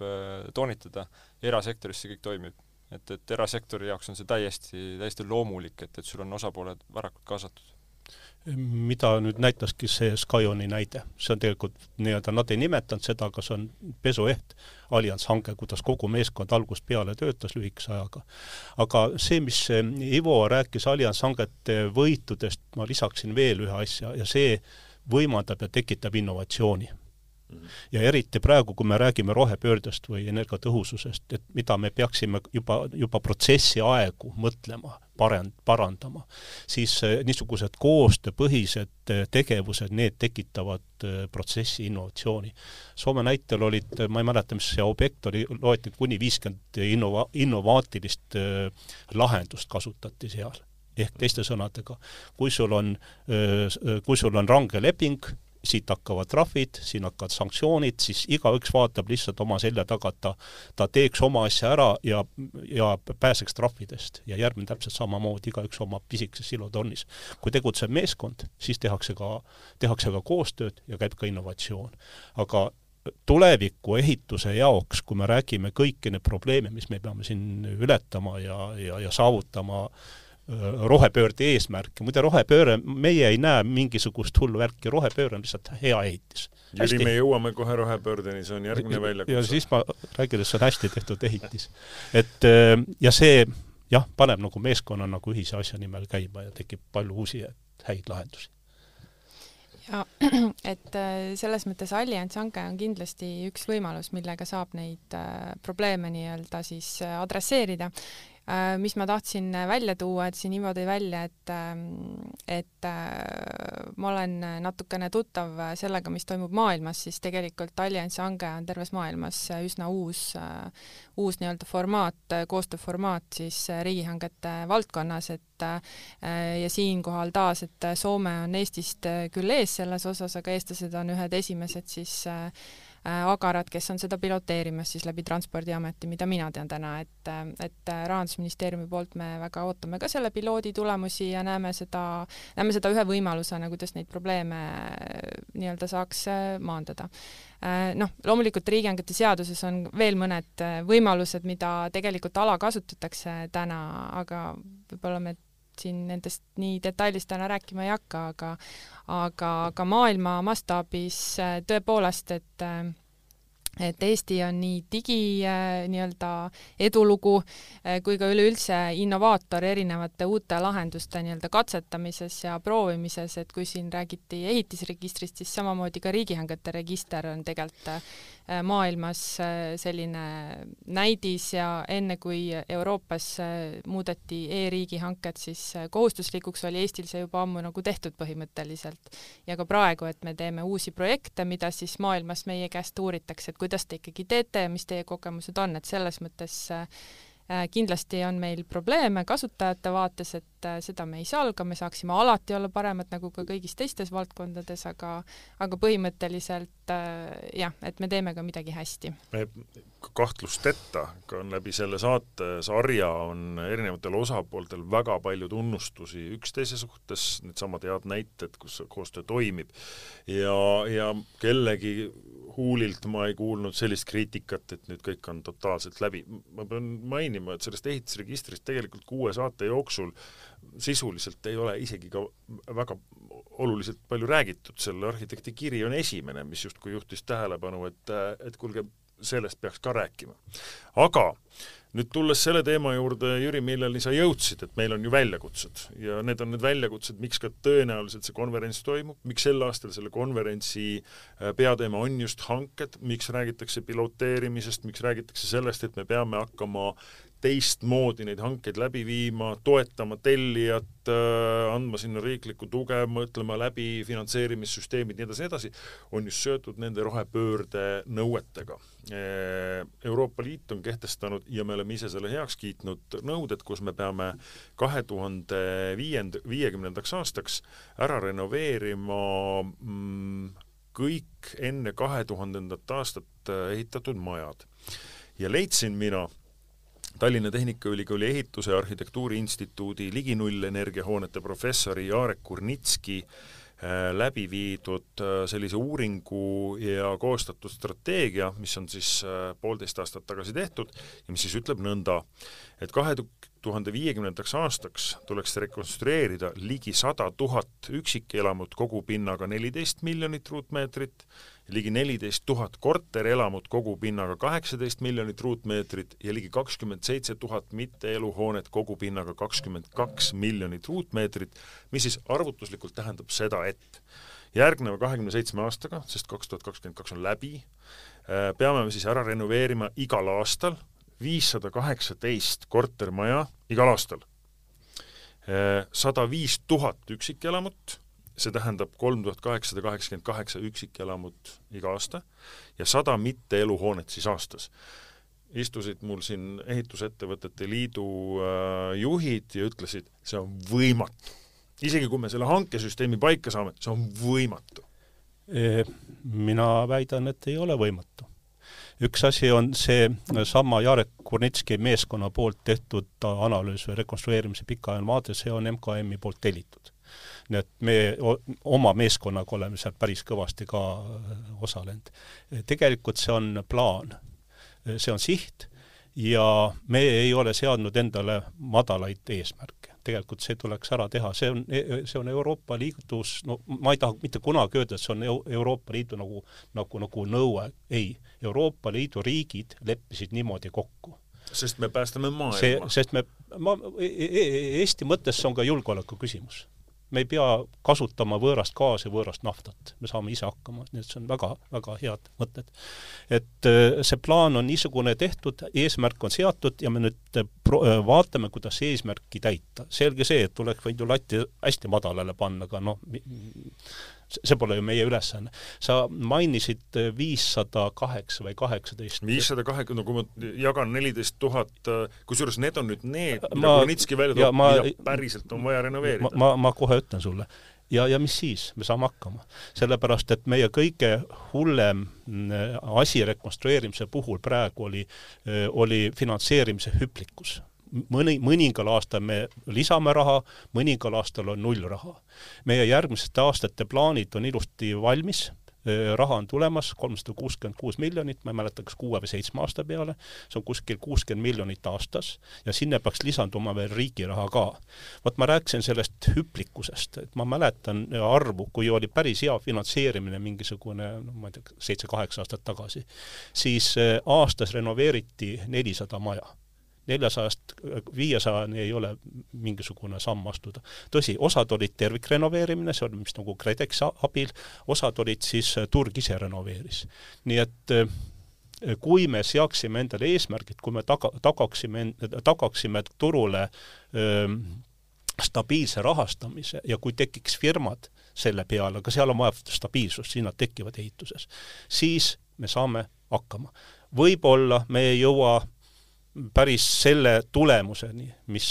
toonitada, erasektoris see kõik toimib. Et erasektori jaoks on see täiesti loomulik, et sul on osapooled varakult kaasatud. Mida nüüd näitaski see Skyoni näide. See on tegelikult nad ei nimetanud seda, kas on pesueht allianshange, kuidas kogu meeskond algust peale töötas lühikese ajaga. Aga see, mis Ivo rääkis allianshangete võitudest, ma lisaksin veel ühe asja ja see võimaldab ja tekitab innovatsiooni. Ja eriti praegu, kui me räägime rohepöördest või energiatõhususest, et mida me peaksime juba protsessi aegu mõtlema, parandama, siis niisugused koostööpõhised tegevused, need tekitavad protsessi innovatsiooni. Soome näitel olid, ma ei mäleta, mis see objekt oli, loeti kuni 50 innovaatilist lahendust kasutati seal. Ehk teiste sõnadega, kui sul on range leping, siit hakkavad trahvid, siin hakkavad sanktsioonid, siis igaüks vaatab lihtsalt oma selja taga, ta teeks oma asja ära ja pääseks trahvidest. Ja järgmine täpselt samamoodi, igaüks oma pisikeses silotornis. Kui tegutseb meeskond, siis tehakse ka koostööd ja käib ka innovatsioon. Aga tuleviku ehituse jaoks, kui me räägime kõiki need probleeme, mis me peame siin ületama ja saavutama rohepöörde eesmärki. Muide rohepööre, meie ei näe mingisugust hullu värki, rohepööre on lihtsalt hea ehitis. Jüri, me jõuame kohe rohepöördeni, see on järgmine väljakutse. Ja siis ma räägin, et see on hästi tehtud ehitis. Ja see paneb nagu meeskonna nagu ühise asja nimel käima ja tekib palju uusi häid lahendusi. Ja, et selles mõttes allianshange on kindlasti üks võimalus, millega saab neid probleeme nii-öelda siis adresseerida. Mis ma tahtsin välja tuua, et siin Ivo tõi välja, et ma olen natukene tuttav sellega, mis toimub maailmas, siis tegelikult allianshange on terves maailmas üsna uus nii-öelda formaat, koostööformaat siis riigihangete valdkonnas, ja siinkohal taas, et Soome on Eestist küll ees selles osas, aga eestlased on ühed esimesed siis agarad, kes on seda piloteerimas siis läbi Transpordiameti, mida mina tean täna, et Rahandusministeeriumi poolt me väga ootame ka selle piloodi tulemusi ja näeme seda ühe võimalusena, kuidas neid probleeme nii-öelda saaks maandada. Loomulikult riigihangete seaduses on veel mõned võimalused, mida tegelikult alakasutatakse täna, aga võib-olla me siin nendest nii detailist täna rääkima ei hakka, aga maailma mastaabis tõepoolest, et Eesti on nii nii-öelda edulugu kui ka üleüldse innovaator erinevate uute lahenduste nii-öelda katsetamises ja proovimises, et kui siin räägiti ehitisregistrist, siis samamoodi ka riigihangete register on tegelikult maailmas selline näidis ja enne kui Euroopas muudeti e-riigi hanked, siis kohustuslikuks oli Eestil see juba ammu nagu tehtud põhimõtteliselt. Ja ka praegu, et me teeme uusi projekte, mida siis maailmas meie käest uuritakse, et kuidas te ikkagi teete ja mis teie kogemused on, et selles mõttes kindlasti on meil probleeme kasutajate vaates, et seda me ei salga, me saaksime alati olla paremad nagu ka kõigis teistes valdkondades, aga põhimõtteliselt jah, et me teeme ka midagi hästi. Kahtlustetta ka läbi selle saate sarja on erinevatel osapooltel väga palju tunnustusi üksteise suhtes, need samad head näited, kus koostöö toimib ja kellegi huulilt ma ei kuulnud sellist kriitikat, et nüüd kõik on totaalselt läbi. Ma pean mainima, et sellest ehitusregistrist tegelikult 6 saate jooksul sisuliselt ei ole isegi ka väga oluliselt palju räägitud. Selle arhitekti kiri on esimene, mis justkui juhtis tähelepanu, et kuulge, sellest peaks ka rääkima. Aga nüüd tulles selle teema juurde, Jüri, milleni sa jõudsid, et meil on ju väljakutsed ja need on need väljakutsed, miks ka tõenäoliselt see konverents toimub, miks sel aastal selle konverentsi peateema on just hanked, miks räägitakse piloteerimisest, miks räägitakse sellest, et me peame hakkama teistmoodi neid hankeid läbi viima, toetama tellijat, andma sinna riiklikku tuge, mõtlema läbi finantseerimissüsteemid, nii edasi, on just seotud nende rohepöörde nõuetega. Euroopa Liit on kehtestanud ja me oleme ise selle heaks kiitnud nõuded, kus me peame 2050. aastaks ära renoveerima kõik enne 2000. aastat ehitatud majad. Ja leidsin mina Tallinna Tehnikaülikooli ehituse ja arhitektuuri instituudi ligi nullenergiahoonete professori Jarek Kurnitski läbi viidud sellise uuringu ja koostatud strateegia, mis on siis 1,5 aastat tagasi tehtud ja mis siis ütleb nõnda, et 2050. aastaks tuleks rekonstrueerida ligi 100 000 üksikelamut kogupinnaga 14 miljonit ruutmeetrit, ligi 14 000 korterelamut kogupinnaga 18 miljonit ruutmeetrit ja ligi 27 000 mitteeluhoonet kogupinnaga 22 miljonit ruutmeetrit, mis siis arvutuslikult tähendab seda, et järgneva 27 aastaga, sest 2022 on läbi, peame me siis ära renoveerima igal aastal 518 kortermaja igal aastal, 105 000 üksikelamut, see tähendab 3888 üksikelamut iga aasta ja 100 mitteeluhoonet siis aastas. Istusid mul siin ehitusettevõtete liidu juhid ja ütlesid, see on võimatu. Isegi kui me selle hankesüsteemi paika saame, see on võimatu. Mina väidan, et ei ole võimatu. Üks asi on see sama Jarek Kurnitski meeskonna poolt tehtud analüüs või rekonstrueerimise pikaajaline vaade, see on MKM-i poolt tellitud. Nii et me oma meeskonnaga oleme seal päris kõvasti ka osalenud. Tegelikult see on plaan, see on siht ja me ei ole seadnud endale madalaid eesmärke. Tegelikult see tuleks ära teha, see on Euroopa Liidus, no ma ei taha mitte kunagi öelda, et see on Euroopa Liidu nagu nõue. Ei, Euroopa Liidu riigid leppisid niimoodi kokku. Sest me päästame maailma. Eesti mõttes on ka julgeoleku küsimus. Me ei pea kasutama võõrast gaasi, võõrast naftat. Me saame ise hakkama, nii et see on väga, väga head mõtted. Et see plaan on niisugune tehtud, eesmärk on seatud ja me nüüd vaatame, kuidas eesmärki täita. Selge see, et tuleks võid ju latti hästi madalale panna, aga see pole ju meie ülesanne. Sa mainisid 508 või 18. 508, no kui ma jagan 14 000, kusjuures need on nüüd need, mida Kurnitski välja toob, mida päriselt on vaja renoveerida. Ma kohe ütlen sulle. Ja mis siis? Me saame hakkama. Sellepärast, et meie kõige hullem asi rekonstrueerimise puhul praegu oli finantseerimise hüplikkus. Mõningal aastal me lisame raha, mõningal aastal on 0 raha. Meie järgmiste aastate plaanid on ilusti valmis, raha on tulemas, 366 miljonit, ma ei mäleta, kas 6 või 7 aasta peale, see on kuskil 60 miljonit aastas ja sinna peaks lisanduma veel riigi raha ka. Ma rääkisin sellest hüplikkusest, et ma mäletan arvu, kui oli päris hea finantseerimine mingisugune, ma ei tea, 7-8 aastat tagasi, siis aastas renoveeriti 400 maja. 400-500 ei ole mingisugune samm astuda. Tõsi, osad olid tervikrenoveerimine, see oli mis nagu KredEx abil, osad olid siis turg ise renoveeris. Nii et kui me seaksime endale eesmärgid, kui me tagaksime turule stabiilse rahastamise ja kui tekiks firmad selle peale, aga seal on vaja stabiilsust, siin nad tekivad ehituses, siis me saame hakkama. Võib-olla me ei jõua päris selle tulemuseni, mis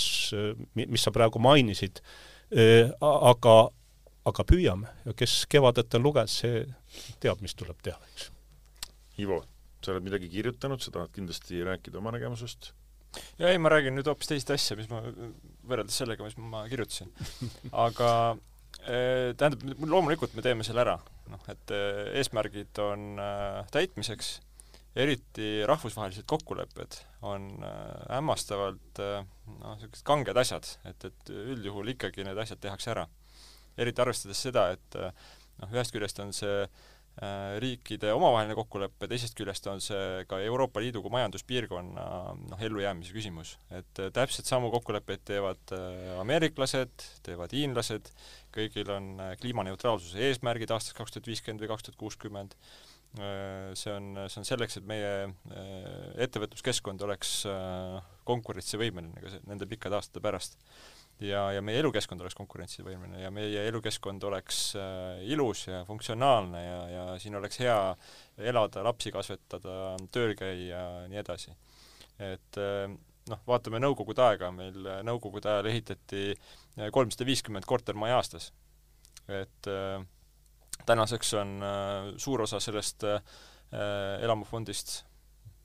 sa praegu mainisid, aga püüame ja kes kevadet on lugenud, see teab, mis tuleb teha. Eks. Ivo, sa oled midagi kirjutanud, sa tahad kindlasti rääkida oma nägemusest? Ja ei, ma räägin nüüd hoopis teist asja, mis ma võrreldes sellega, mis ma kirjutasin. Aga tähendab, loomulikult me teeme selle ära. Et eesmärgid on täitmiseks, eriti rahvusvahelised kokkulepped on hämmastavalt sellised kanged asjad, et üldjuhul ikkagi need asjad tehakse ära. Eriti arvestades seda, et ühest küljest on see riikide omavaheline kokkulepe, teisest küljest on see ka Euroopa Liidu kui majanduspiirkonna ellujäämise küsimus. Et täpselt samu kokkuleppeid teevad ameeriklased, teevad hiinlased, kõigil on kliimaneutraalsuse eesmärgid aastast 2050 või 2060. See on selleks, et meie ettevõtluskeskkond oleks konkurentsivõimeline ka nende pikkade aastate pärast. Ja meie elukeskkond oleks konkurentsivõimeline ja meie elukeskkond oleks ilus ja funktsionaalne ja siin oleks hea elada, lapsi kasvetada, tööl käia ja nii edasi. Et vaatame nõukogude aega, meil nõukogude ajal ehitati 350 kortermaja aastas. Et tänaseks on suur osa sellest elamufondist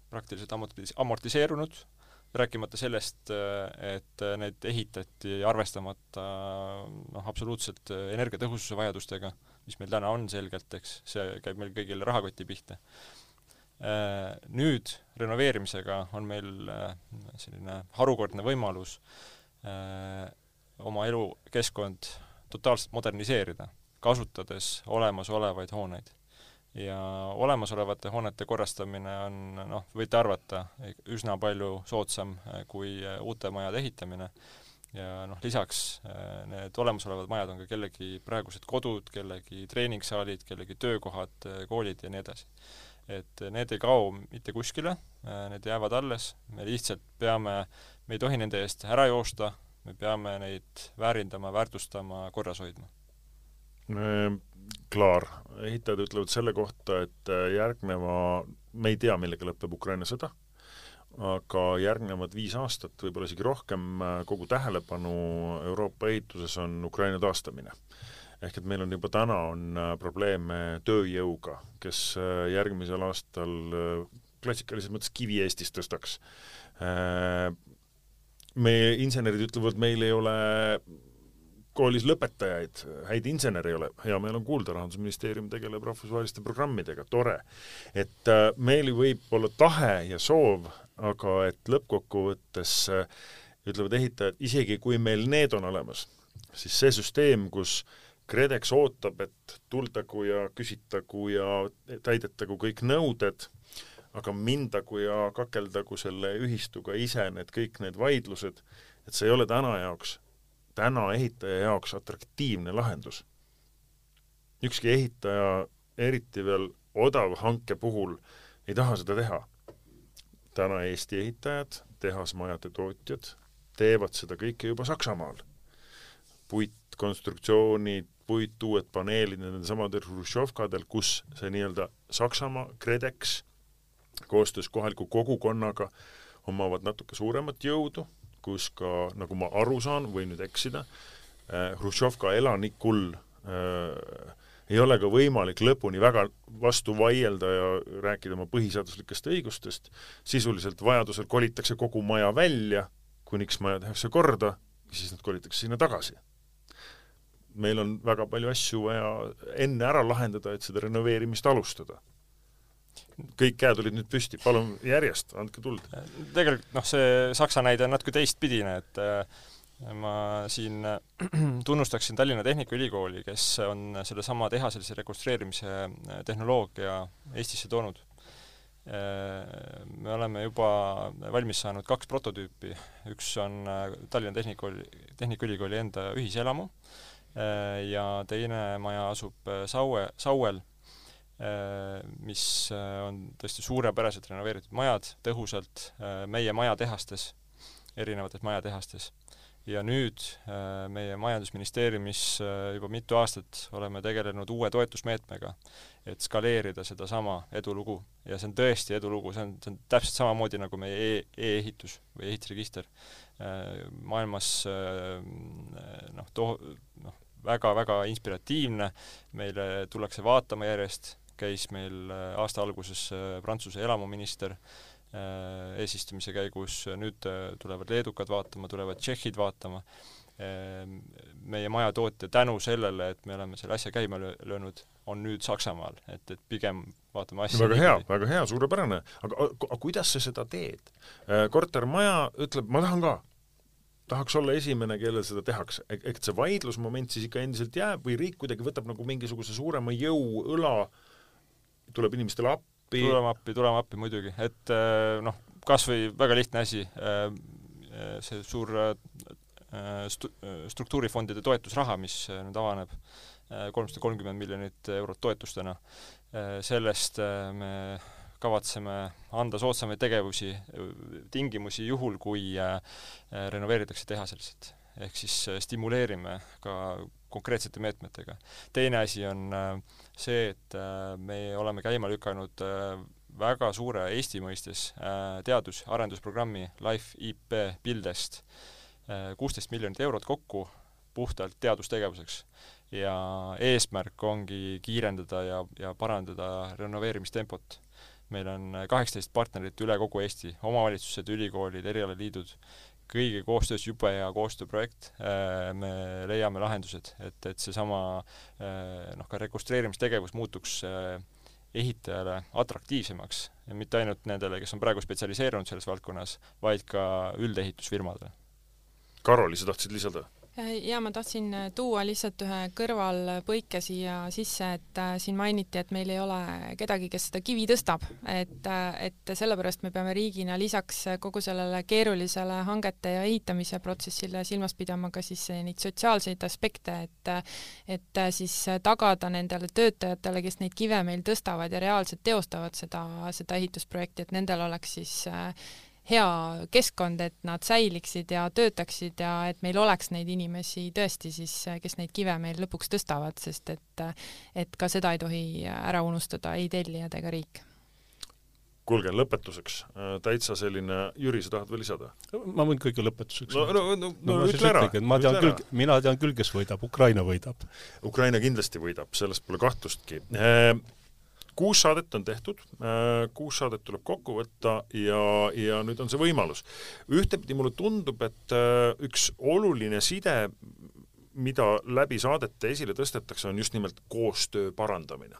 praktiliselt amortiseerunud, rääkimata sellest, et need ehitati arvestamata absoluutselt energiatõhususe vajadustega, mis meil täna on selgelt, eks see käib meil kõigile rahakoti pihta. Nüüd renoveerimisega on meil selline harukordne võimalus oma elukeskkond totaalselt moderniseerida, kasutades olemasolevaid hooneid. Ja olemasolevate hoonete korrastamine on, võite arvata, üsna palju soodsam kui uute majade ehitamine. Ja lisaks need olemasolevad majad on ka kellegi praegused kodud, kellegi treeningsaalid, kellegi töökohad, koolid ja nii edasi. Et need ei kao mitte kuskile, need jäävad alles, me lihtsalt me ei tohi nende eest ära joosta, me peame neid väärindama, väärtustama, korras hoidma. Klaar, ehitajad ütlevad selle kohta, et me ei tea, millega lõpeb Ukraina sõda, aga järgnevad 5 aastat, võib-olla isegi rohkem, kogu tähelepanu Euroopa ehituses on Ukraina taastamine. Ehk et meil on juba täna probleeme tööjõuga, kes järgmisel aastal klassikalises mõttes kivi Eestis tõstaks. Meie insenerid ütlevad, meil ei ole koolis lõpetajaid, häid inseneri ei ole, hea meil on kuulda, Rahandusministeerium tegeleb rahvusvaheliste programmidega, tore. Et meil võib olla tahe ja soov, aga et lõppkokkuvõttes ütlevad ehitajad, isegi kui meil need on olemas, siis see süsteem, kus KredEx ootab, et tuldagu ja küsitagu ja täidetagu kõik nõuded, aga mindagu ja kakeldagu selle ühistuga ise kõik need vaidlused, et see ei ole täna ehitaja jaoks atraktiivne lahendus. Ükski ehitaja, eriti veel odav hanke puhul, ei taha seda teha. Täna Eesti ehitajad, tehasmajade tootjad teevad seda kõike juba Saksamaal. Puitkonstruktsioonid, uued paneelid, nende samadel Hruštšovkadel, kus see nii-öelda Saksamaa, KredEx, koostöös kohaliku kogukonnaga omavad natuke suuremat jõudu, kus ka, nagu ma aru saan, või nüüd eksida, Hruštšovka elanikul ei ole ka võimalik lõpuni väga vastu vaielda ja rääkida oma põhiseaduslikest õigustest. Sisuliselt vajadusel kolitakse kogu maja välja, kuniks maja tehakse korda, siis nad kolitakse sinna tagasi. Meil on väga palju asju vaja enne ära lahendada, et seda renoveerimist alustada. Kõik käed olid nüüd püsti, palun järjest, andke tuld. Tegelikult see Saksa näide on natuke teistpidine, et ma siin tunnustaksin Tallinna Tehnikaülikooli, kes on selle sama tehaselise rekonstrueerimise tehnoloogia Eestisse toonud. Me oleme juba valmis saanud 2 prototüüpi. Üks on Tallinna Tehnikaülikooli enda ühiselamu ja teine maja asub Sauel. mis on tõesti suurepäraselt renoveeritud majad, tõhusalt meie majatehastes, erinevates majatehastes. Ja nüüd meie majandusministeeriumis juba mitu aastat oleme tegelenud uue toetusmeetmega, et skaleerida seda sama edulugu. Ja see on tõesti edulugu, see on täpselt samamoodi nagu meie e-ehitus või ehitusregister. Maailmas väga-väga inspiratiivne, meile tullakse vaatama järjest, käis meil aasta alguses Prantsuse elamuminister eesistumise käigus, nüüd tulevad leedukad vaatama, tulevad tšehhid vaatama. Meie majatootja tänu sellele, et me oleme selle asja käima löönud, on nüüd Saksamaal, et pigem vaatame asja. Väga hea, suurepärane. Aga kuidas sa seda teed? Kortermaja ütleb, ma tahan ka. Tahaks olla esimene, kellel seda tehakse. Ehk see vaidlusmoment siis ikka endiselt jääb või riik kuidagi võtab nagu mingisuguse suurema jõu õla, tuleb inimestele appi? Tulema appi muidugi, et kas või väga lihtne asi, see suur struktuurifondide toetusraha, mis nüüd avaneb 330 miljonit eurot toetustena, sellest me kavatseme anda soodsamaid tingimusi juhul, kui renoveeritakse tehaseliselt. Ehk siis stimuleerime ka konkreetsete meetmetega. Teine asi on see, et me oleme käima lükanud väga suure Eesti mõistes teadus-arendusprogrammi Life IP Buildest 16 miljonit eurot kokku puhtalt teadustegevuseks. Ja eesmärk ongi kiirendada ja parandada renoveerimistempot. Meil on 18 partnerit üle kogu Eesti, omavalitsused, ülikoolid, erialaliidud, kõigi koostöös jube hea koostööprojekt, me leiame lahendused, et see sama ka rekonstrueerimistegevus muutuks ehitajale atraktiivsemaks ja mitte ainult nendele, kes on praegu spetsialiseerunud selles valdkonnas, vaid ka üldehitusfirmadele. Karoli, sa tahtsid lisada? Ja ma tahtsin tuua lihtsalt ühe kõrvalpõike siia sisse, et siin mainiti, et meil ei ole kedagi, kes seda kivi tõstab, et sellepärast me peame riigina lisaks kogu sellele keerulisele hangete ja ehitamise protsessile silmas pidama ka siis neid sotsiaalseid aspekte, et siis tagada nendele töötajatele, kes neid kive meil tõstavad ja reaalselt teostavad seda ehitusprojekti, et nendel oleks siis hea keskkond, et nad säiliksid ja töötaksid ja et meil oleks neid inimesi tõesti siis, kes neid kive meil lõpuks tõstavad, sest et ka seda ei tohi ära unustada ei tellijad ega riik. Kuulge, lõpetuseks. Täitsa selline, Jüri, sa tahad veel lisada? Ma võin kõige lõpetuseks. No ütle ära. Mina tean küll, kes võidab. Ukraina võidab. Ukraina kindlasti võidab, sellest pole kahtlustki. 6 saadet on tehtud, 6 saadet tuleb kokku võtta ja nüüd on see võimalus. Ühtepidi mulle tundub, et üks oluline side, mida läbi saadete esile tõstetakse, on just nimelt koostöö parandamine.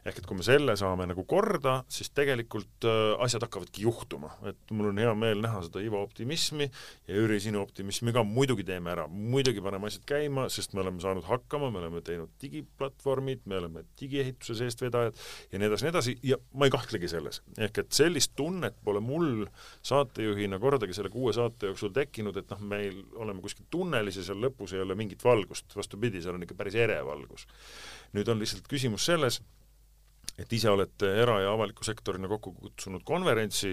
Ehk et kui me selle saame nagu korda, siis tegelikult asjad hakkavadki juhtuma. Et mul on hea meel näha seda Ivo optimismi ja Jüri sinu optimismi ka muidugi teeme ära. Muidugi paneme asjad käima, sest me oleme saanud hakkama, me oleme teinud digiplatvormid, me oleme digiehituse seest vedajad ja nii edasi ja ma ei kahtlegi selles. Ehk et sellist tunnet pole mul saatejuhina kordagi selle 6 saate jooksul tekkinud, et meil oleme kuskil tunnelis ja seal lõpus ei ole mingit valgust. Vastupidi, seal on ikka päris ere valgus. Nüüd on lihtsalt küsimus selles, et ise olete era- ja avaliku sektorina kokku kutsunud konverentsi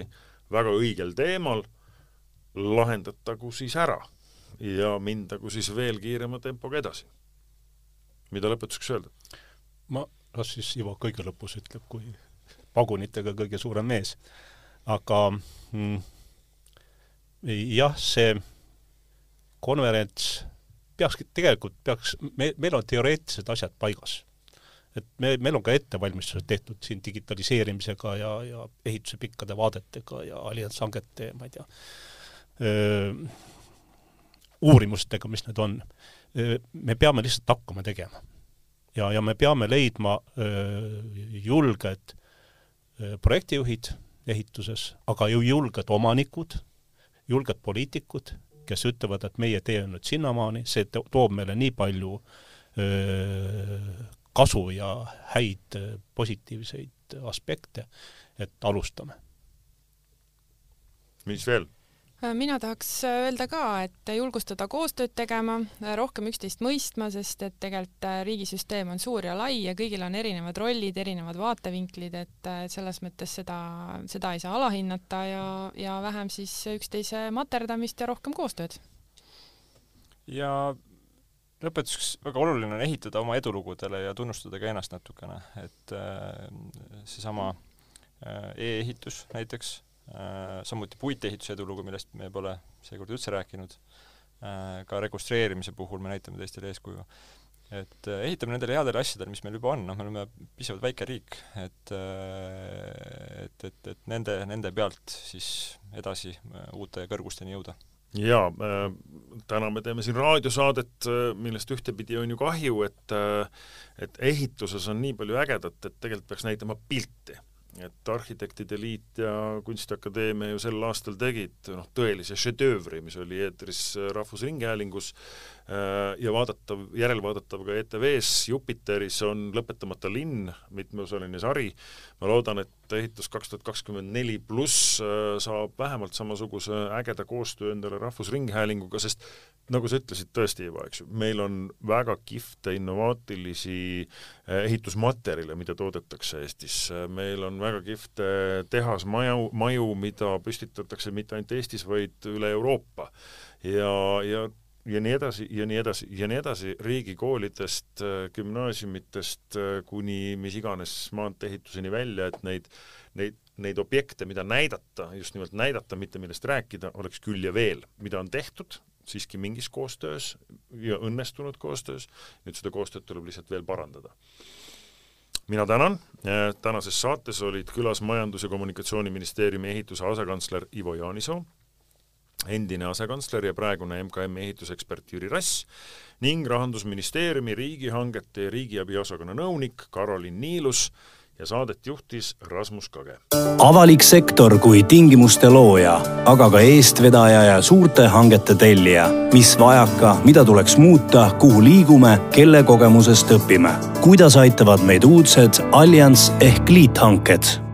väga õigel teemal, lahendatagu siis ära ja mindagu siis veel kiirema tempoga edasi. Mida lõpetuseks öelda? Las siis Ivo kõige lõpus ütleb, kui pagunitega kõige suurem mees. Aga jah, see konverents meil on teoreetilised asjad paigas. Et meil on ka ettevalmistused tehtud siin digitaliseerimisega ja ehituse pikkade vaadetega ja allianshangete, ma ei tea, uurimustega, mis need on. Me peame lihtsalt hakkama tegema. Ja me peame leidma julged projektijuhid ehituses, aga ju julged omanikud, julged poliitikud, kes ütlevad, et meie tee on nüüd sinnamaani, see toob meile nii palju kasu ja häid positiivseid aspekte, et alustame. Mis veel? Mina tahaks öelda ka, et julgustada koostööd tegema, rohkem üksteist mõistma, sest et tegelikult riigisüsteem on suur ja lai ja kõigil on erinevad rollid, erinevad vaatevinklid, et selles mõttes seda ei saa alahinnata ja vähem siis üksteise materdamist ja rohkem koostööd. Ja lõpetuseks väga oluline on ehitada oma edulugudele ja tunnustada ka ennast natukene, et seesama e-ehitus näiteks, samuti puitehituse edulugu, millest me pole seekord üldse rääkinud, ka rekonstrueerimise puhul me näitame teistele eeskuju. Et ehitame nendele headele asjadele, mis meil juba on, me oleme piisavalt väike riik, et nende pealt siis edasi uute kõrgusteni jõuda. Jaa, täna me teeme siin raadiosaadet, millest ühtepidi on ju kahju, et ehituses on nii palju ägedat, et tegelikult peaks näitama pilti. Et Arhitektide Liit ja Kunstiakadeemia ju sel aastal tegid tõelise šedöövri, mis oli eetris Rahvusringhäälingus ja järelvaadatav ka ETV-s Jupiteris on Lõpetamata linn, mitmeosaline sari. Ma loodan, et ehitus 2024 pluss saab vähemalt samasuguse ägeda koostöö endale Rahvusringhäälinguga, sest nagu sa ütlesid tõesti juba, eks ju, meil on väga kihvte innovaatilisi ehitusmaterjale, mida toodetakse Eestis. Meil on väga kihvte tehasmaju, mida püstitatakse mitte ainult Eestis, vaid üle Euroopa. Ja nii edasi, ja nii edasi, ja nii edasi riigikoolidest, gümnaasiumitest kuni mis iganes maanteehituseni välja, et neid objekte, mida näidata, just nimelt näidata, mitte millest rääkida, oleks küll ja veel, mida on tehtud siiski mingis koostöös ja õnnestunud koostöös. Nüüd seda koostööd tuleb lihtsalt veel parandada. Mina tänan. Tänases saates olid külas Majandus- ja Kommunikatsiooniministeeriumi ehituse asekantsler Ivo Jaanisoo, endine asekantsler ja praegune MKM ehitusekspert Jüri Rass ning Rahandusministeeriumi riigihangete ja riigiabi osakonna nõunik Karolin Niilus ja saadet juhtis Rasmus Kage. Avalik sektor kui tingimuste looja, aga ka eestvedaja ja suurte hangete tellija. Mis vajaka, mida tuleks muuta, kuhu liigume, kelle kogemusest õpime. Kuidas aitavad meid uudsed Allianz ehk liithanked?